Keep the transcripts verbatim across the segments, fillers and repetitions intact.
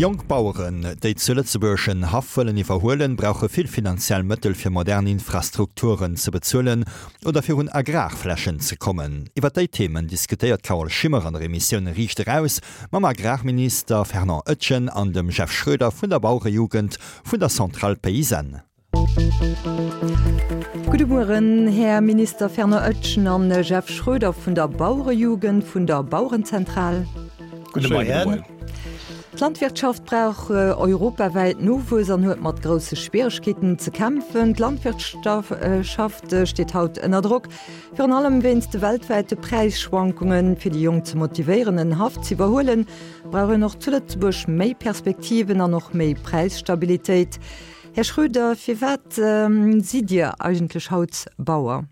Jonk Baueren, déi zu Lëtzebuerg en Haff wëllen iwwerhuelen, brauche vill finanziell Mëttel fir modern Infrastrukturen ze bezuelen oder fir un Agrarflächen ze kommen. Iwwer déi Themen diskutéiert d'Carole Schimmer an der Emissioun Riicht Eraus mam Agrarminister Fernand Etgen an dem Jeff Schroeder vun der Bauerejugend vun der Centrale Paysanne. Gudde Mueren, Här Minister Fernand Etgen an Jeff Schroeder vun der Bauerejugend vun der Bauerenzentral. Gudde Moien. D'Landwirtschaft brauch europawäit Nowuess an huet mat grousse Schwieregkeeten ze kämpfen. D'Landwirtschaft steet haut ënner Drock, virun allem wéinst de weltwäite Präisschwankungen. Fir déi Jonk ze motivéieren, en Haff ze iwwerhuelen, brauch een och zu Lëtzebuerg méi Perspektiven an och méi Präisstabilitéit. Här Schroeder, firwat sidd Dir eigentlech haut Bauer?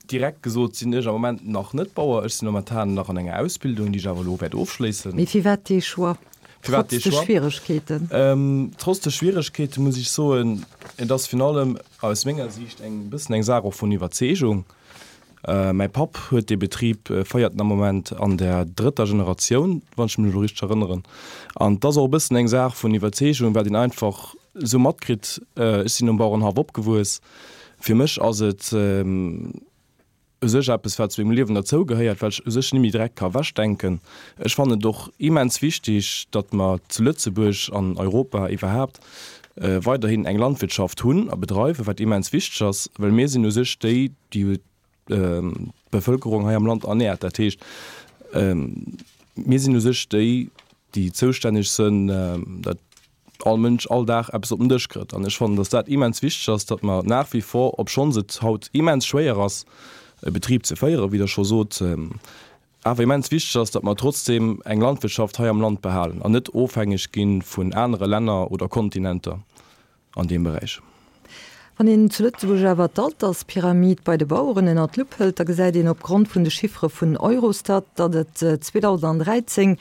Direkt gesot sinn ech am Moment nach net Bauer. Ech sinn momentan nach an enger Ausbildung, déi ech awer elo wäert ofschléissen. Mee firwat dee Choix, Firwat trotz dee de Choix? Schwieregkeeten? Trotz de Schwieregkeete muss ech soen, et ass virun allem aus menger Siicht eng bëssen eng Saach och vun Iwwerzeegung. Mäi Papp huet dee Betrib, féiert en am Moment an der drëtter Generatioun, wann ech mech elo richteg erënneren. An et ass och e bëssen eng Saach vun Iwwerzeegung, wat een einfach esou matkritt. Ech sinn um Bauerenhaff opgewuess. Fir mech ass et u sech eppes, wat zu mengem Liewen derzougehéiert, wat ech u sech net méi direkt ka ewechdenken. Ech fannen et och immens wichtig, datt mer zu Lëtzebuerg an Europa iwwerhaapt weiderhin eng Landwirtschaft hunn a bedreiwen, wat immens wichteg ass, well mir sinn u sech déi, déi d'Bevëlkerung hei am Land ernährt. Dat heescht, mir sinn u sech déi, déi zoustänneg sinn, datt all Mënsch all Dag eppes op den Dësch kritt. An ech fannen, datt dat immens wichteg ass, datt mer nach wie vor, obschonns et haut immens schwéier ass, e Betrib ze féieren, wéi Der scho sot, awer immens wichteg ass, datt mer trotzdem eng Landwirtschaft hei am Land behalen an net ofhängeg gi vun anere Länner oder Kontinenter an deem Beräich. Wann een zu Lëtzebuerg awer d'Alterspyramid bei de Baueren ënner d'Lupp hëlt, da gesäit een opgrond vun de Chiffere vun Eurostat, datt et zweedausenddräizéng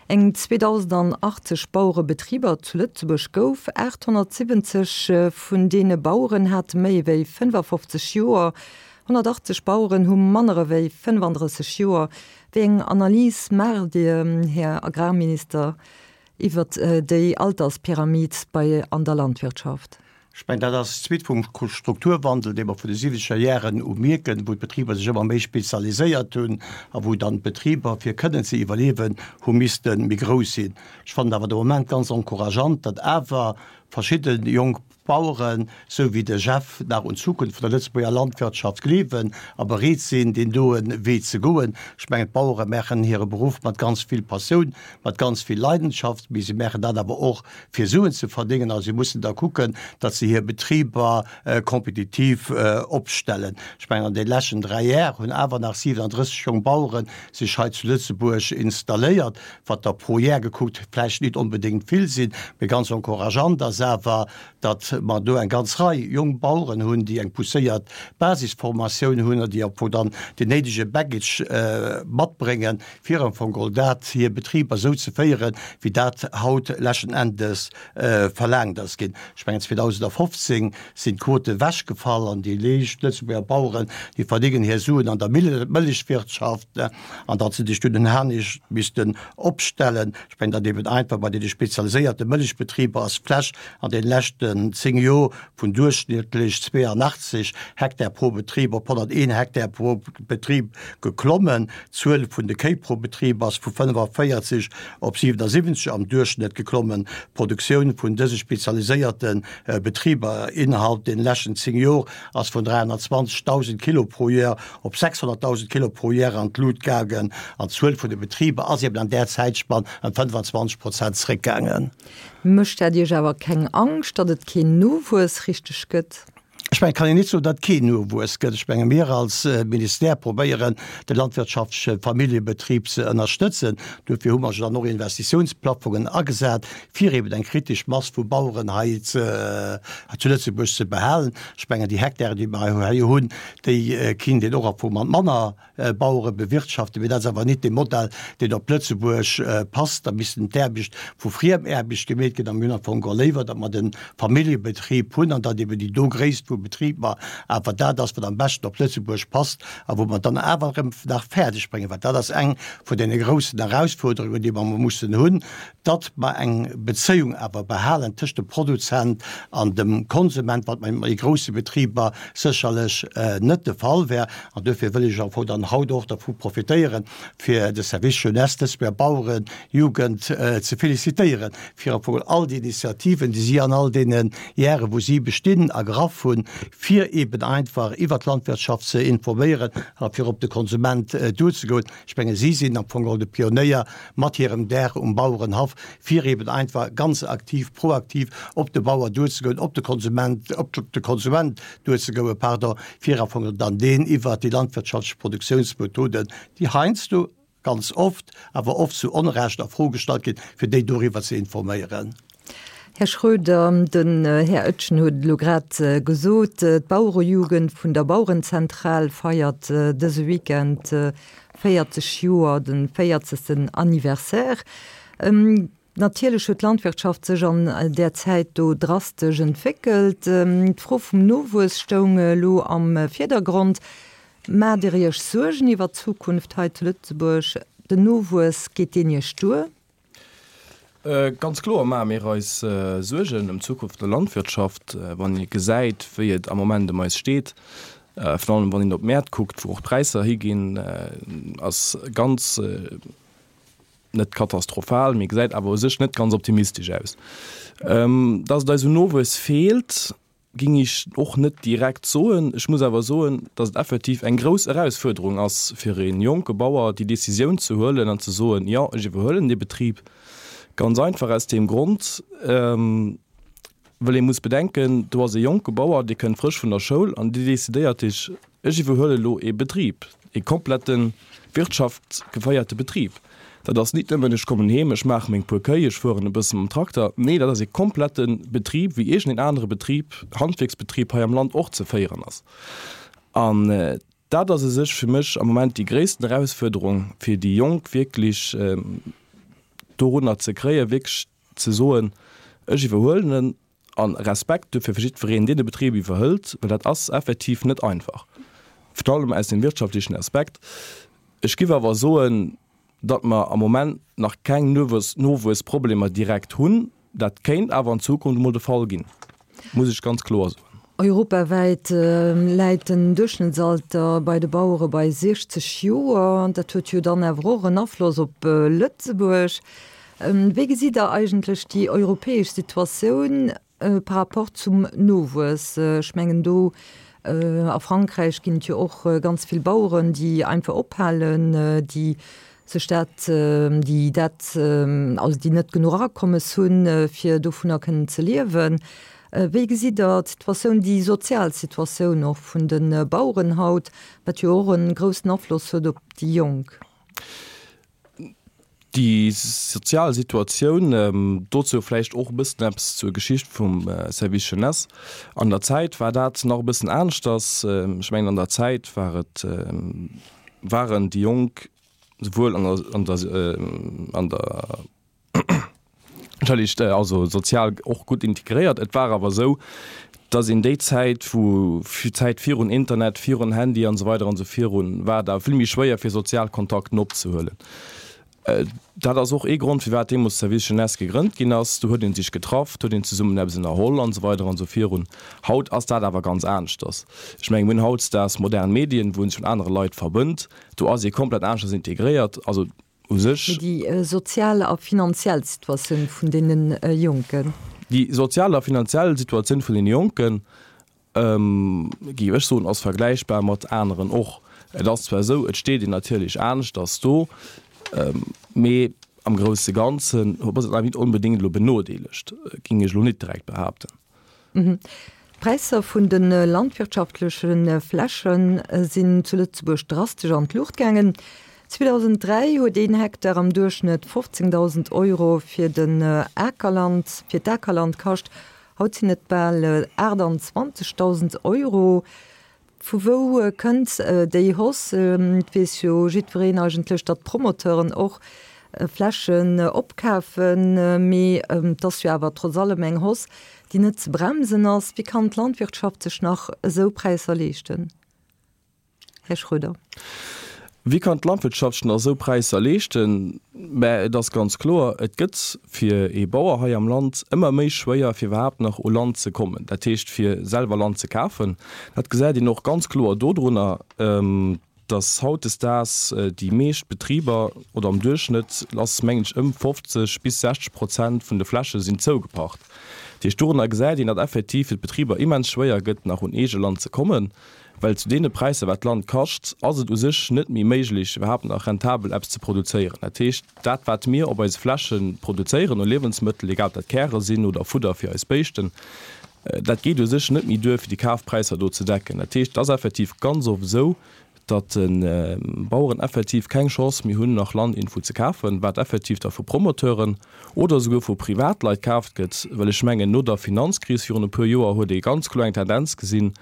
eng zweedausendachtzeg Bauerebetriber zu Lëtzebuerg gouf. aathonnertsiwwenzeg vun deene Baueren hate méi ewéi fënnefafofzeg Joer, honnertachtzeg Baueren hu manner ewéi fënnefandrësseg Joer. Wéi eng Analys maacht Dir, Här Agrarminister, iwwert déi Alterspyramid bei an der Landwirtschaft? Ech mengen, dat ass d'Suite vum Strukturwandel, dee mer vun de siwwenzeger Jaren u mierken, wou d'Betriber sech ëmmer méi spezialiséiert hunn a wou dann d'Betriber, fir kënnen ze iwwerliewen, hu misste méi grouss sinn. Ech fannen awer de Moment ganz encourageant, datt awer verschidde jonk Baueren, sou wéi de Jeff, nach un d'Zukunft vun der Lëtzebuerger Landwirtschaft gleewen a bereet sinn, deen doen Wee ze goen. Ech mengen, d'Bauere maachen hire Beruff mat ganz vill Passioun, mat ganz vill Leidenschaft, mee se maachen dat awer och, fir Suen ze verdéngen a si mussen da kucken, datt se hir Betriber kompetitiv opstellen. Ech mengen, an de leschten dräi Jär hunn awer nach siwenandrësseg jonk Bauere sech hei zu Lëtzebuerg installéiert, wat der pro Jär gekuckt vläicht nit onbedéngt vill sinn, mee ganz encourageant ass awer, datt mer do eng ganz Rei jonk Baueren hunn, déi eng pousséiert Basisformatioun hunn an déi am Fong dann deen néidege Baggage matbréngen, fir am Fong geholl dat hir Betriber esou ze féieren, wéi dat haut leschten Endes verlaangt ass ginn. Ech mengen, zweedausendfofzéng sinn d'Quote ewechgefall an déi leescht Lëtzebuerger Baueren, déi verdéngen hir Suen an der Mëllechwirtschaft, an datt se sech dunn en anescht missten opstellen. Ech mengen, datt eben einfach bei deene spezialiséierte Mëllechbetriber ass d'Fläch an deene leschten zéng Joer vun duerchschnëttlech zweeanachtzeg Hektar pro Betrib op honnerteen Hektar pro Betrib geklommen. D'Zuel vun de Kéi pro Betrib ass vu fënnefaféierzeg op siwenasiwwenzeg am Duerchschnëtt geklommen. D'Produktioun vun dëse spezialiséierte Betriber innerhalb deene leschten zéng Joer ass vun dräihonnertzwanzegdausend Kilo pro Joer op sechshonnertdausend Kilo pro Joer an d'Lut gaangen an d'Zuel vun de Betriber ass eben an där Zäitspann ëm fënnefazwanzeg Prozent zréckgaangen. Mécht dat Iech awer keng Angscht, datt et keen Nowuess richteg gëtt? Ech mengen, et kann een net soen, datt et keen Nowuess gëtt. Ech menge mir als Ministère probéieren, de landwirtschaftleche Familljebetrib ze ënnerstëtzen. Dofir hu mer jo dann och Investitiounsplaffongen agesat, fir eben eng kritesch Mass vu Baueren hei zu Lëtzebuerg ze behalen. Ech mengen, déi Hektaren, déi mer hei hunn, déi kinnt een och am Fong mat manner Bauere bewirtschaften, mee dat ass awer nit dee Modell, deen op Lëtzebuerg passt. Da missten d'Aarbecht vu Friemaarbecht gemeet ginn a mir hunn am Fong geholl léiwer, datt mer de Familljebetrib hunn an datt eben déi do Gréisst vu vu Betriber awer dat ass, wat am beschten op Lëtzebuerg passt a wou mer dann awer erëm nach fäerdeg bréngen, well dat ass eng vun deene groussen Erausfuerderungen, déi mer mussen hunn, datt mer eng Bezéiung awer behalen tëscht dem Produzent an dem Konsument, wat bei méi grousse Betriber sécherlech net de Fall wär. An duerfir wëll ech am Fong dann haut och dervu profitéieren, fir de Service Jeunesse, d'Lëtzebuerger Bauerenjugend ze félicitéieren, fir am Fong all déi Initiativen, déi si an all deene Jahre, wou si bestinn, ergraff hunn, fir eben einfach iwwert d'Landwirtschaft ze informéieren a fir op de Konsument duerzegoen. Ech menge si sinn am Fong geholl de Pionéier mat hirem Dag um Bauerenhaff, fir eben einfach ganz aktiv, proaktiv op de Bauer duerzegoen, op de Konsument, op de Konsument duerzegoen, pardon, fir am Fong dann deen iwwert déi landwirtschaftlech Produktionsmethoden, déi heiansdo, ganz oft, awer oft zu Onrecht a Fro gestallt ginn, fir déi doriwwer ze informéieren. Här Schroeder, den Här Oetjen huet elo grad gesot, d'Bauerejugend vun der Bauerenzentral feiert dëse Weekend véierzeg Joer, de véierzegsten Anniversaire. Natierlech huet d'Landwirtschaft sech an där Zäit do drastesch entwéckelt. D'Fro vum Nowuess stoung elo am Virdergrond. Maacht Dir Iech Suergen iwwer d'Zukunft hei zu Lëtzebuerg? Den Nowuess, geet deen Iech duer? Ganz kloer maache mir eis Suergen ëm d'Zukunft der Landwirtschaft, wann ee gesäit, wéi et am Moment ëm eis steet. Virun allem wann een op d'Mäert kuckt, wou och d'Präisser higinn, ass ganz net katastrophal, mee gesäit awer u sech net ganz optimistesch aus. Dass et eis un Nowuess feelt, ging ech och net direkt soen. Ech muss awer soen, dass et effektiv eng grouss Erausfuerderung ass, fir ee jonke Bauer déi Decisioun ze huelen an ze soen, jo, ech iwwerhuelen dee Betrib. Ganz einfach aus deem Grond, well ee muss bedenken, do ass e jonke Bauer, dee kënnt frësch vun der Schoul an dee decidéiert sech, ech iwwerhuele lo ee Betrib, ee komplette wirtschaftgeféierte Betrib. Dat ass nit nëmmen, ech kommen heem, ech maache meng puer Kéi, ech fueren e bësse mam Trakter. Nee, dat ass ee komplette Betrib, wéi iergendeen anere Betrib, Handwierksbetrib hei am Land och ze féieren ass. An dat ass u sech fir mech am Moment déi gréissten Erausfuerderung, fir déi Jonk wierklech dorunner ze kréien, wierklech ze soen, ech iwwerhuelen en. A Respekt duerfir fir jiddwereen, deen de Betrib iwwerhëlt, well dat ass effektiv net einfach, virun allem aus dem wirtschaftlechen Aspekt. Ech giff awer soen, datt mer am Moment nach keng Nowuessproblemer direkt hunn. Dat kéint awer an Zukunft emol de Fall ginn, muss ech ganz kloer soen. Europawäit läit den Duerchschnëttsalter bei de Bauere bei siechzeg Joer. Dat huet jo dann awer och en Afloss op Lëtzebuerg. Wéi gesitt Der eigentlech déi europäesch Situatioun par rapport zum Nowuess? Ech mengen do a Frankräich ginn et jo och ganz vill Baueren, déi einfach ophalen, déi sech dat, déi dat, also déi net genuch Akommes hunn, fir dovunner kënnen ze liewen. Wéi gesitt Der d'Situatioun, déi sozial Situatioun och vun de Baueren haut, wat jo och e groussen Afloss huet op déi Jonk? Déi sozial Situatioun, dozou vläicht och e bëssen eppes zur Geschicht vum Service Jeunesse. An der Zäit war dat nach e bëssen aneschters. Ech mengen, an der Zäit war et, waren déi Jonk souwuel an der, an der, an der, entschëllegt, also sozial och gutt integréiert. Et war awer esou, dass een déi Zäit, wou, d'Zäit virun Internet, virun Handy an esou weider an esou virun, war et awer vill méi schwéier fir sozial Kontakten opzehuelen. Dat ass och ee Grond, firwat deemools Service Jeunesse gegrënnt ginn ass. Do huet ee sech getraff, do huet een zesummen eppes ënnerholl an esou weider an esou virun. Haut ass dat awer ganz aneschters. Ech mengen, mir hunn hautdesdaags modern Medien, wou ee sech mat anere Leit verbënnt. Do ass ee komplett aneschters integréiert. Also u sech. Déi sozial a finanziell Situatioun vun deene Jonken. Déi sozial a finanziell Situatioun vun deene Jonken, géif ech soen, ass vergläichbar mat aneren och. Et ass zwar esou, et steet een natierlech aneschters do, mee am grousse Ganzen ass et awer nit onbedéngt elo benodeelegt, géing ech elo nit direkt behaapten. D'Präisser vun de landwirtschaftleche Fläche sinn zu Lëtzebuerg drastesch an d'Luucht gaangen. zweedausenddräi huet een Hektar am Duerchschnëtt fofzéngdausend Euro fir den Akerland, fir d'Akerland kascht. Haut sinn et bal aachtanzwanzegdausend Euro. Vu wou kënnt déi Hausse? Et weess jo jiddwereen eigentlech, datt d'Promoteuren och Flächen opkafen, mee et ass jo awer trotz allem eng Hausse, déi net ze bremsen ass. Wéi kann d'Landwirtschaft sech nach esou Präisser leeschten, Här Schroeder? Wéi kann d'Landwirtschaft sech nach esou Präisser leeschten? Mä et ass ganz kloer, et gëtt fir ee Bauer hei am Land ëmmer méi schwéier, fir iwwerhaapt nach u Land ze kommen, dat heescht fir selwer Land ze kafen. Dat gesäit een och ganz kloer dodrunner, dass hautdesdaags déi meescht Betriber, oder am Duerchschnëtt ass mengen ech ëm fofzeg bis sechzeg Prozent vun de Fläche sinn zougepacht. Dat heescht, dorunner gesäit een, datt effektiv fir d'Betriber immens schwéier gëtt, nach un eege Land ze kommen, well zu deene Präisser wat d'Land kascht, ass et u sech net méi méiglech iwwerhaapt nach rentabel eppes ze produzéieren. Dat heescht, dat wat mir op eise Fläche produzéieren u Liewensmëttel, egal ob dat Käre sinn oder Fudder fir eis Béischten, dat geet u sech net méi duer fir déi Kafpräisser do ze decken. Dat heescht, et ass effektiv ganz oft esou, datt d'Baueren effektiv keng Chance méi hunn nach Land iergendwou ze kafen, wat effektiv da vu Promoteuren oder esouguer vu Privatleit kaaft gëtt, well ech mengen no der Finanzkris virun e puer Joer huet ee ganz kloer eng Tendenz gesinn,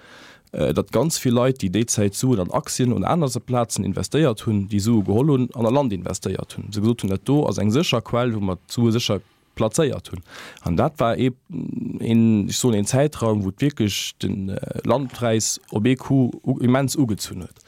datt ganz vill Leit, déi déi Zäit Suen an Aktien un aner Plazen investéiert hunn, déi Sue geholl hunn an a Land investéiert hunn, se gesot hunn, dat do ass eng sécher Quell, wou mer d'Sue sécher plazéiert hunn. An dat war ee, een, ech soen een Zäitraum, wou wierklech de Landpräis op ee Coup immens ugezunn huet.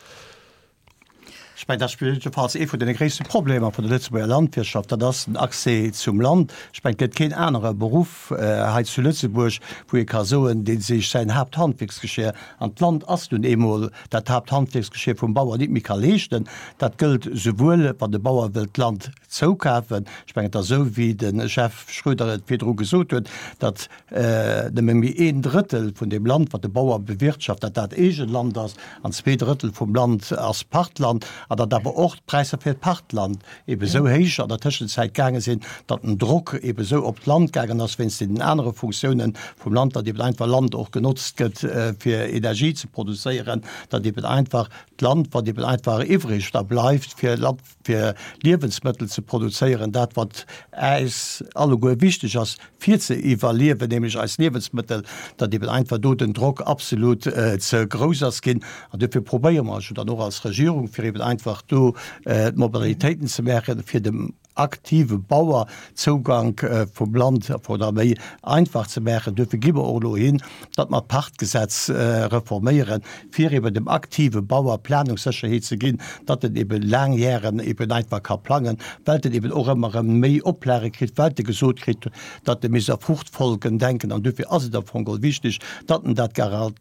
Ech mengen, dat ass jiddefalls ee vun deene gréisste Problemer vun der Lëtzebuerger Landwirtschaft, dat ass den Accès zum Land. Ech mengen, et gëtt keen anere Beruff hei zu Lëtzebuerg, wou ee ka soen, dee sech säin Haapthandwierksgeschir, an d'Land ass nun eemol dat Haapthandwierksgeschir vum Bauer, nit méi ka leeschten. Dat gëllt souwuel, wann de Bauer wëllt Land zoukafen, ech mengen, et ass esou, wéi de Jeff Schroeder et virdru gesot huet, datt nëmme méi een Drëttel vun deem Land, wat de Bauer bewirtschaft, datt dat eegent Land ass, an zwee Drëttel vum Land ass Pachtland, an datt awer och d'Präisser fir d'Pachtland ebe sou héich an der Tëschenzäit gaange sinn, datt den Drock ebe sou op d'Land gaangen ass wéinst deenen anere Funktiounen vum Land, datt eben einfach Land och genotzt gëtt fir Energie ze produzéieren, datt eben einfach d'Land, wat eben einfach iwwreg da bleift fir Land, fir Liewensmëttel ze produzéieren, dat wat äis alleguer wichteg ass fir ze iwwerliewen, nämlech eis Liewensmëttel, datt eben einfach do den Drock absolut ze grouss ass ginn. An duerfir probéiere mer jo dann och als Regierung, fir eben einfach do d'Modalitéiten ze maachen, fir dem aktive Bauer Zougank vum Land oder méi einfach ze maachen. Duerfir gi mer och elo hin, datt mer d'Pachtgesetz reforméieren, fir eben dem aktive Bauer Planungssécherheet ze ginn, datt en eben laang Jären eben einfach ka plangen, well en eben och ëmmer erëm méi Oplage kritt, well e gesot kritt, datt e misst a Fruchtfolgen denken. An duerfir ass et am Fong geholl wichteg, datt en dat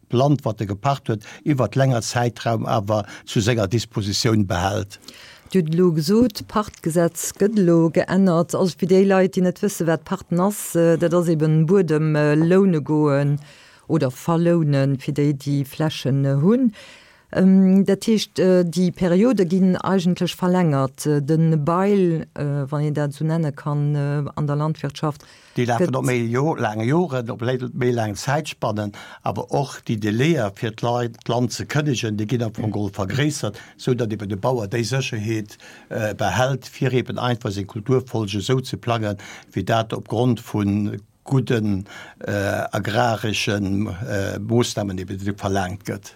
Land, wat e gepacht huet, iwwert länger Zäitraum awer zu senger Dispositioun behält. Dir hutt elo gesot, d'Pachtgesetz gëtt elo geännert. Also fir déi Leit, déi net wësse wat Pachten ass, dat ass eben Buedem loune goen oder verlounen, fir déi, déi Flächen hunn. Dat heescht, déi Periode ginn eigentlech verlängert. De Bail, wann een dat esou nenne kann an der Landwirtschaft, Déi lafen op méi laang Joren, op méi laang Zäitspannen, awer och déi Délaië fir d'Leit d'Land ze kënnegen, déi ginn am Fong geholl vergréissert, sou datt eben de Bauer déi Sécherheet behält, fir eben einfach seng Kulturfolge esou ze plangen, wéi dat opgrond vu gudden agraresche Moossnamen eben verlaangt gëtt.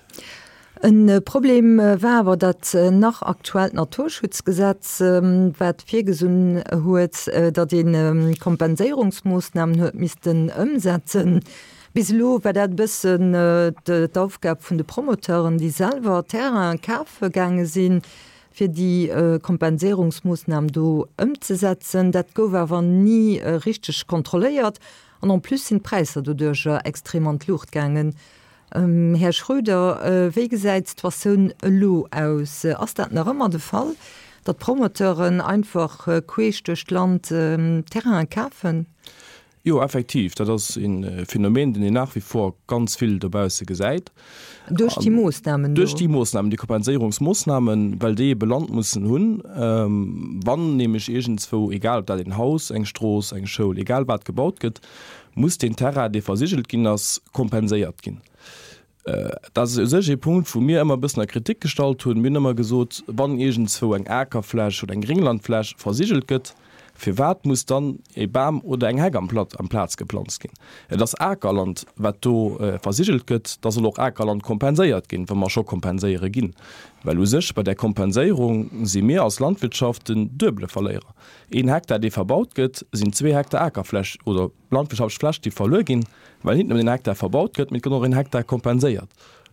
E Problem war awer dat nach aktuellt Naturschutzgesetz, wat virgesinn huet, datt ee Kompenséierungsmoossnamen huet missten ëmsetzen. Bis elo war dat e bëssen d'Aufgab vun de Promoteuren, déi selwer Terraine kafe gaange sinn, fir déi Kompenséierungsmoossnam do ëmzesetzen. Dat gouf awer ni richteg kontrolléiert an en plus sinn d'Präisser doduercher extrem an d'Luucht gaangen. Här Schroeder, wéi gesäit d'Situatioun elo aus? Ass dat nach ëmmer de Fall, datt d'Promoteuren einfach queesch duerch d'Land Terrainen kafen? Jo, effektiv, dat ass e Phänomen, deen een nach wie vor ganz vill dobausse gesäit. Duerch déi Moossnamen do? Duerch déi Moossnamen, déi Kompenséierungsmoossnamen, well déi ebe Land mussen hunn, wann nämlech iergendzwou, egal ob dat een Haus, eng Strooss, eng Schoul, egal wat gebaut gëtt, muss deen Terrain, dee versigelt ginn ass, kompenséiert ginn. Dat ass u sech ee Punkt, wou mir ëmmer e bëssen a Kritik gestallt hunn. Mir hunn ëmmer gesot, wann iergendzwou eng Akerfläch oder eng Grénglandfläch versigelt gëtt, Firwat muss dann e Bam oder eng Heck amplaz geplanzt ginn? Et ass Akerland, wat do versigelt gëtt, da soll och Akerland kompenséiert ginn, wa mer scho kompenséiere ginn. Well u sech bei där Kompenséierung si mir als Landwirtschaft den duebele Verléierer. Een Hektar, dee verbaut gëtt, sinn zwee Hektar Akerfläch oder landwirtschaftlech Fläch, déi verluer ginn, well nit nëmmen een Hektar verbaut gëtt, mee et gëtt och een Hektar kompenséiert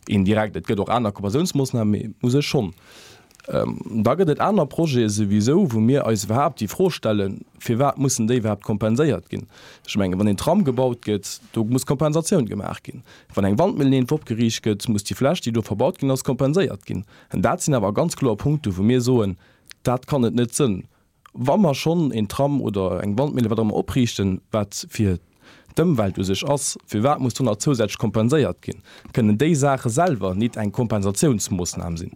indirekt. Et gëtt och aner Kompensatiounsmoossnamen, mee u sech schonn. Da gëtt et aner Projete souwisou, wou mir eis iwwerhaapt déi Fro stellen, Firwat mussen déi iwwerhaapt kompenséiert ginn? Ech mengen, wann een Tram gebaut gëtt, do muss Kompensatioun gemaach ginn. Wann eng Wandmillen iergendwou opgeriicht gëtt, muss déi Fläch, déi do verbaut ginn ass, kompenséiert ginn. An dat sinn awer ganz kloer Punkte, wou mir soen, Dat kann et net sënn. Wa mer schonn een Tram oder eng Wandmille, wat och ëmmer, opriichten, wat fir d'Ëmwelt u sech ass, firwat muss do nach zousätzlech kompenséiert ginn? Kënnen déi Saache selwer nit eng Kompensatiounsmoossnam sinn?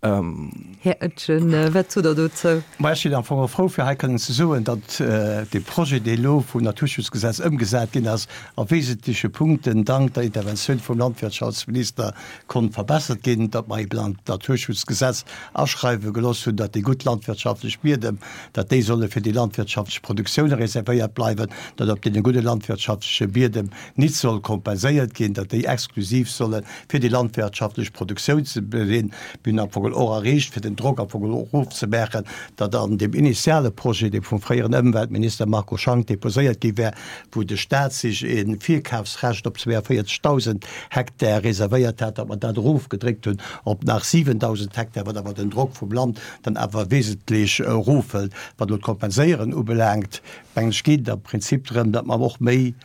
Här Etgen, wat sot Der dozou? Ma ech sinn am Fong och frou, fir hei kënnen ze soen, datt dee Projet, dee elo vum Naturschutzgesetz ëmgesat ginn ass, a wesentleche Punkten dank der Interventioun vum Landwirtschaftsminister konnt verbessert ginn, datt mer eben an d'Naturschutzgesetz aschreiwe gelooss hunn, datt déi gutt landwirtschaftlech Biedem, datt déi solle fir déi landwirtschaftlech Produktioune reservéiert bleiwen, datt op deene gudde landwirtschaftleche Biedem nit soll kompenséiert ginn, datt déi exklusiv solle fir déi landwirtschaftlech Produktioun ze sinn. Mir hunn am Fong och erreecht, fir den Drock am Fong erofzemaachen, datt an deem initiale Projet, dee vum fréieren Ëmweltminister Marco Schank deposéiert gi war, wou de Stat sech e Virkafsrecht op zweeavéierzegdausend Hektar reservéiert hat, datt mer dat erofgedréckt hunn op nach siwendausend Hektar, wat awer den Drock vum Land dann awer wesentlech erofhëlt. Wat elo d'Kompenséieren ubelaangt, mengen ech, geet et am Prinzip drëm, datt mer och méi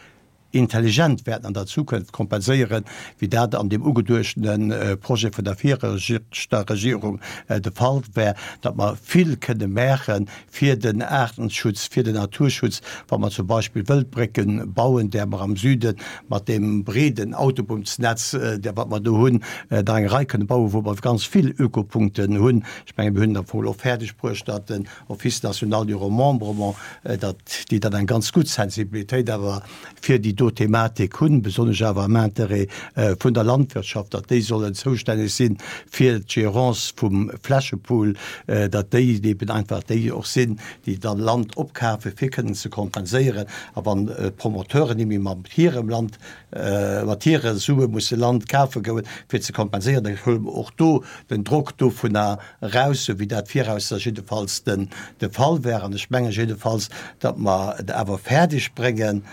intelligent wäerten an der Zukunft kompenséieren, wéi dat an deem ugeduechtene Projet vun der viregter Regierung de Fall war, datt mer vill kënne maache fir den Aartenschutz, fir den Naturschutz, wa mer zum Beispill Wëldbrécke bauen, där mer am Süde mat deem breeden Autobunnsnetz, där wat mer do hunn, der eng Rei kënne bauen, wou mer ganz vill Ökopunkten hunn. Ech menge mir hunn et am Fong elo fäerdeg bruecht, datt den Office national du remembrement, datt déi dann eng ganz gutt Sensibilitéit awer fir déi do Thematik hunn, besonnesch awer am Intérêt vun der Landwirtschaft, datt déi sollen zoustänneg si fir d'Gérance vum Flächepool, datt déi eben einfach déi och sinn, déi dann Land opkafen, fir kënnen ze kompenséieren. A wann d'Promoteuren ni méi mat hirem Land, mat hire Sue musse Land kafe goen, fir ze kompenséieren, da huele mer och do den Drock dovunner eraus, esou wéi dat virausser jiddefalls den de Fall wär. An ech menge jiddefalls, datt mer et awer fäerdeg bréngen,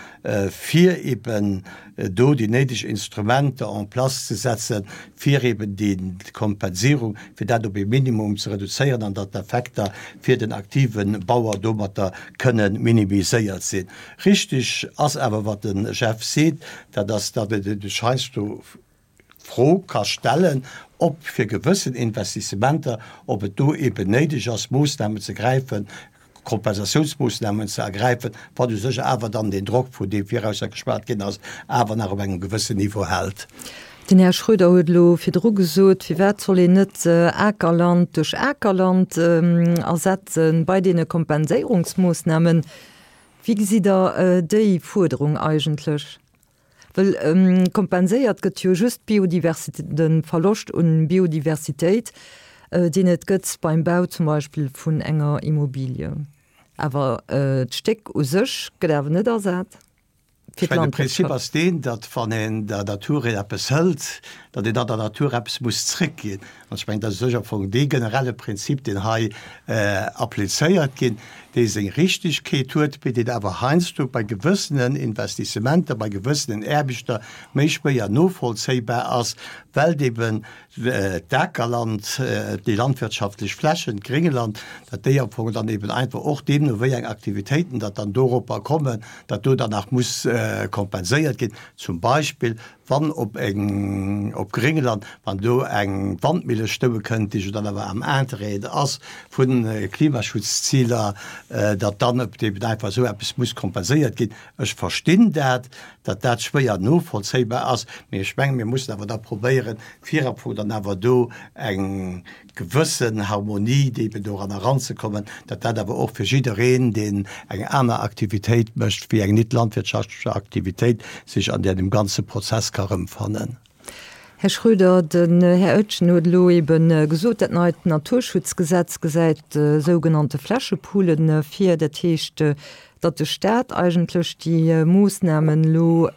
fir eben do déi néideg Instrumenter en place ze setzen, fir eben déi Kompensierung, fir dat op ee Minimum ze reduzéieren an datt d'Effekter fir den aktive Bauer domatter kënnen minimiséiert sinn. Richtig ass awer, wat de Jeff seet, dat ass, datt et sech heiansdo d'Fro ka stellen, ob fir gewëssen Investissementer, ob et do eben néideg ass, Moosnamen ze gräifen, Kompensatiounsmoosnamen ze ergräifen, wat u sech awer dann deen Drock, vun deem virausser geschwat ginn ass, awer nach op engem gewëssen Niveau hält. Den Här Schroeder huet elo virdru gesot, firwat soll een net Akerland duerch Akerland ersetzen bei deene Kompenséierungsmoosnamen. Wéi gesitt Der déi Fuerderung eigentlech? Well kompenséiert gëtt jo just d'Biodiversitéit, de Verloscht un Biodiversitéit, deen et gëtt beim Bau zum Beispill vun enger Immobilie. Awer d'Stéck u sech gëtt awer net ersat fir d'Landwirtschaft. De Prinzip ass deen, datt wann een der Natur eppes hëlt, datt een dann der Natur eppes muss zréckginn. An ech mengen, dat ass u sech am Fong dee generelle Prinzip, deen hei applizéiert ginn, dee seng Richtigkeet huet, mee deen awer heiansdo bei gewëssenen Investissementer, bei gewëssenen Aarbechter méi schwéier novollzéibar ass, well eben d'Akerland, déi landwirtschaftlech Flächen, d'Gréngeland, datt déi am Fong dann eben einfach och deemno wéi eng Aktivitéiten datt dann doropper kommen, datt do dann nach muss kompenséiert ginn, zum Beispill wann op eng, op Gréngeland, wann do eng Wandmille stoue kënnt, déi jo dann awer am Interêt ass vu Klimaschutzziler, datt dann eben einfach esou eppes muss kompenséiert ginn. Ech verstinn dat, datt dat schwéier novollzéibar ass, mee ech mengen, mir mussen awer da probéieren, fir am Fong dann awer do eng gewëssen Harmonie eben doran eranzekommen, datt dat awer och fir jiddereen, deen eng aner Aktivitéit mécht wéi eng net landwirtschaftlech Aktivitéit, sech an deem ganze Prozess ka erëmfannen. Här Schröder, den Här Oetjen huet elo ebe gesot, dat neit Naturschutzgesetz gesäit sougenannte Flächepoolen vir. Dat heescht, datt de Staat eigentlech déi Moossnamen elo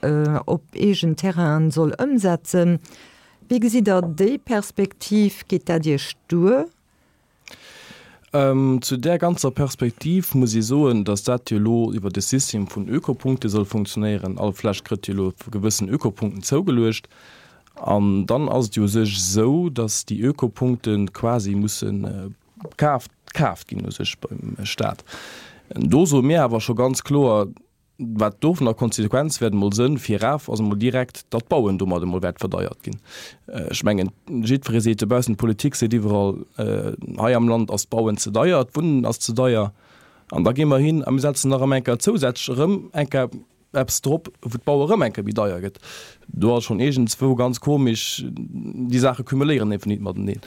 op eegen Terrainen soll ëmsetzen. Wéi gesitt Der déi Perspektiv? Geet dat Iech duer? Zu där ganzer Perspektiv muss ee soen, datt dat jo elo iwwer de System vun Ökopunkte soll funktionéieren. All Fläch kritt jo elo gewëssen Ökopunkten zougeluecht. An dann ass et jo u sech esou, datt déi Ökopunkte quasi musse kaaft kaaft ginn u sech beim Stat. Do soe mir awer scho ganz kloer, wat do vun der Konsequenz wäert emol sënn, viraf ass emol direkt, datt d'Bauen domat emol wäert verdeiert ginn. Ech mengen, jiddweree seet dobaussen, d'Politik seet iwwerall, hei am Land ass d'Bauen ze deier, d'Wunnen ass ze deier. An da gi mer hin a mir setzen nach ëm eng Kéier zousätzlech erëm eng Kéier eppes drop, wou d'Baue erëm eng Kéier méi deier gëtt. Do ass schonn iergendswou ganz komesch, déi Saache cumuléieren einfach nit mateneen.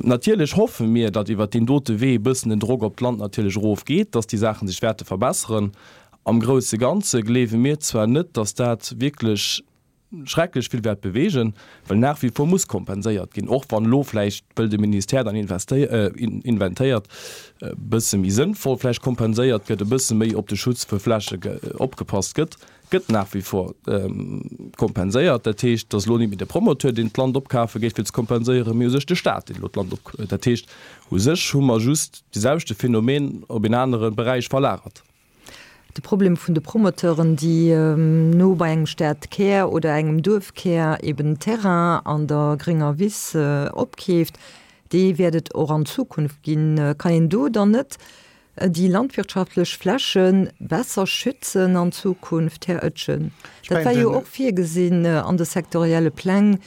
Natierlech hoffe mir, datt iwwert deen dote Wee e bëssen den Drock op d'Land natierlech erofgeet, datt déi Saache sech wäerte verbesseren. Am grousse Ganze gleewe mir zwar net, datt dat wierklech schrecklech vill wäert beweegen, well nach wie vor muss kompenséiert ginn, och wann elo vläicht, wëll de Ministère dann inventéiert, e bësse méi sënnvoll vläicht kompenséiert gëtt, e bësse méi op de Schutz vu Fläche opgepasst gëtt, gëtt nach wie vor kompenséiert. Dat heescht, et ass elo net méi de Promoteur, deen d'Land opkafe géif fir ze kompenséieren, mee u sech de Stat, deen elo d'Land op. Dat heescht, u sech hu mer just de selwechte Phänomen op een anere Beräich verlagert. De Problem vun de Promoteuren, déi no bei engem Stadkär oder engem Duerfkär eben Terrain an der grénger Wiss opkeeft, dee wäert et och an Zukunft ginn. Kann een do dann net déi landwirtschaftlech Fläche besser schützen an Zukunft, Här Oetjen? Dat war jo och virgesinn an de sektorielle Pläng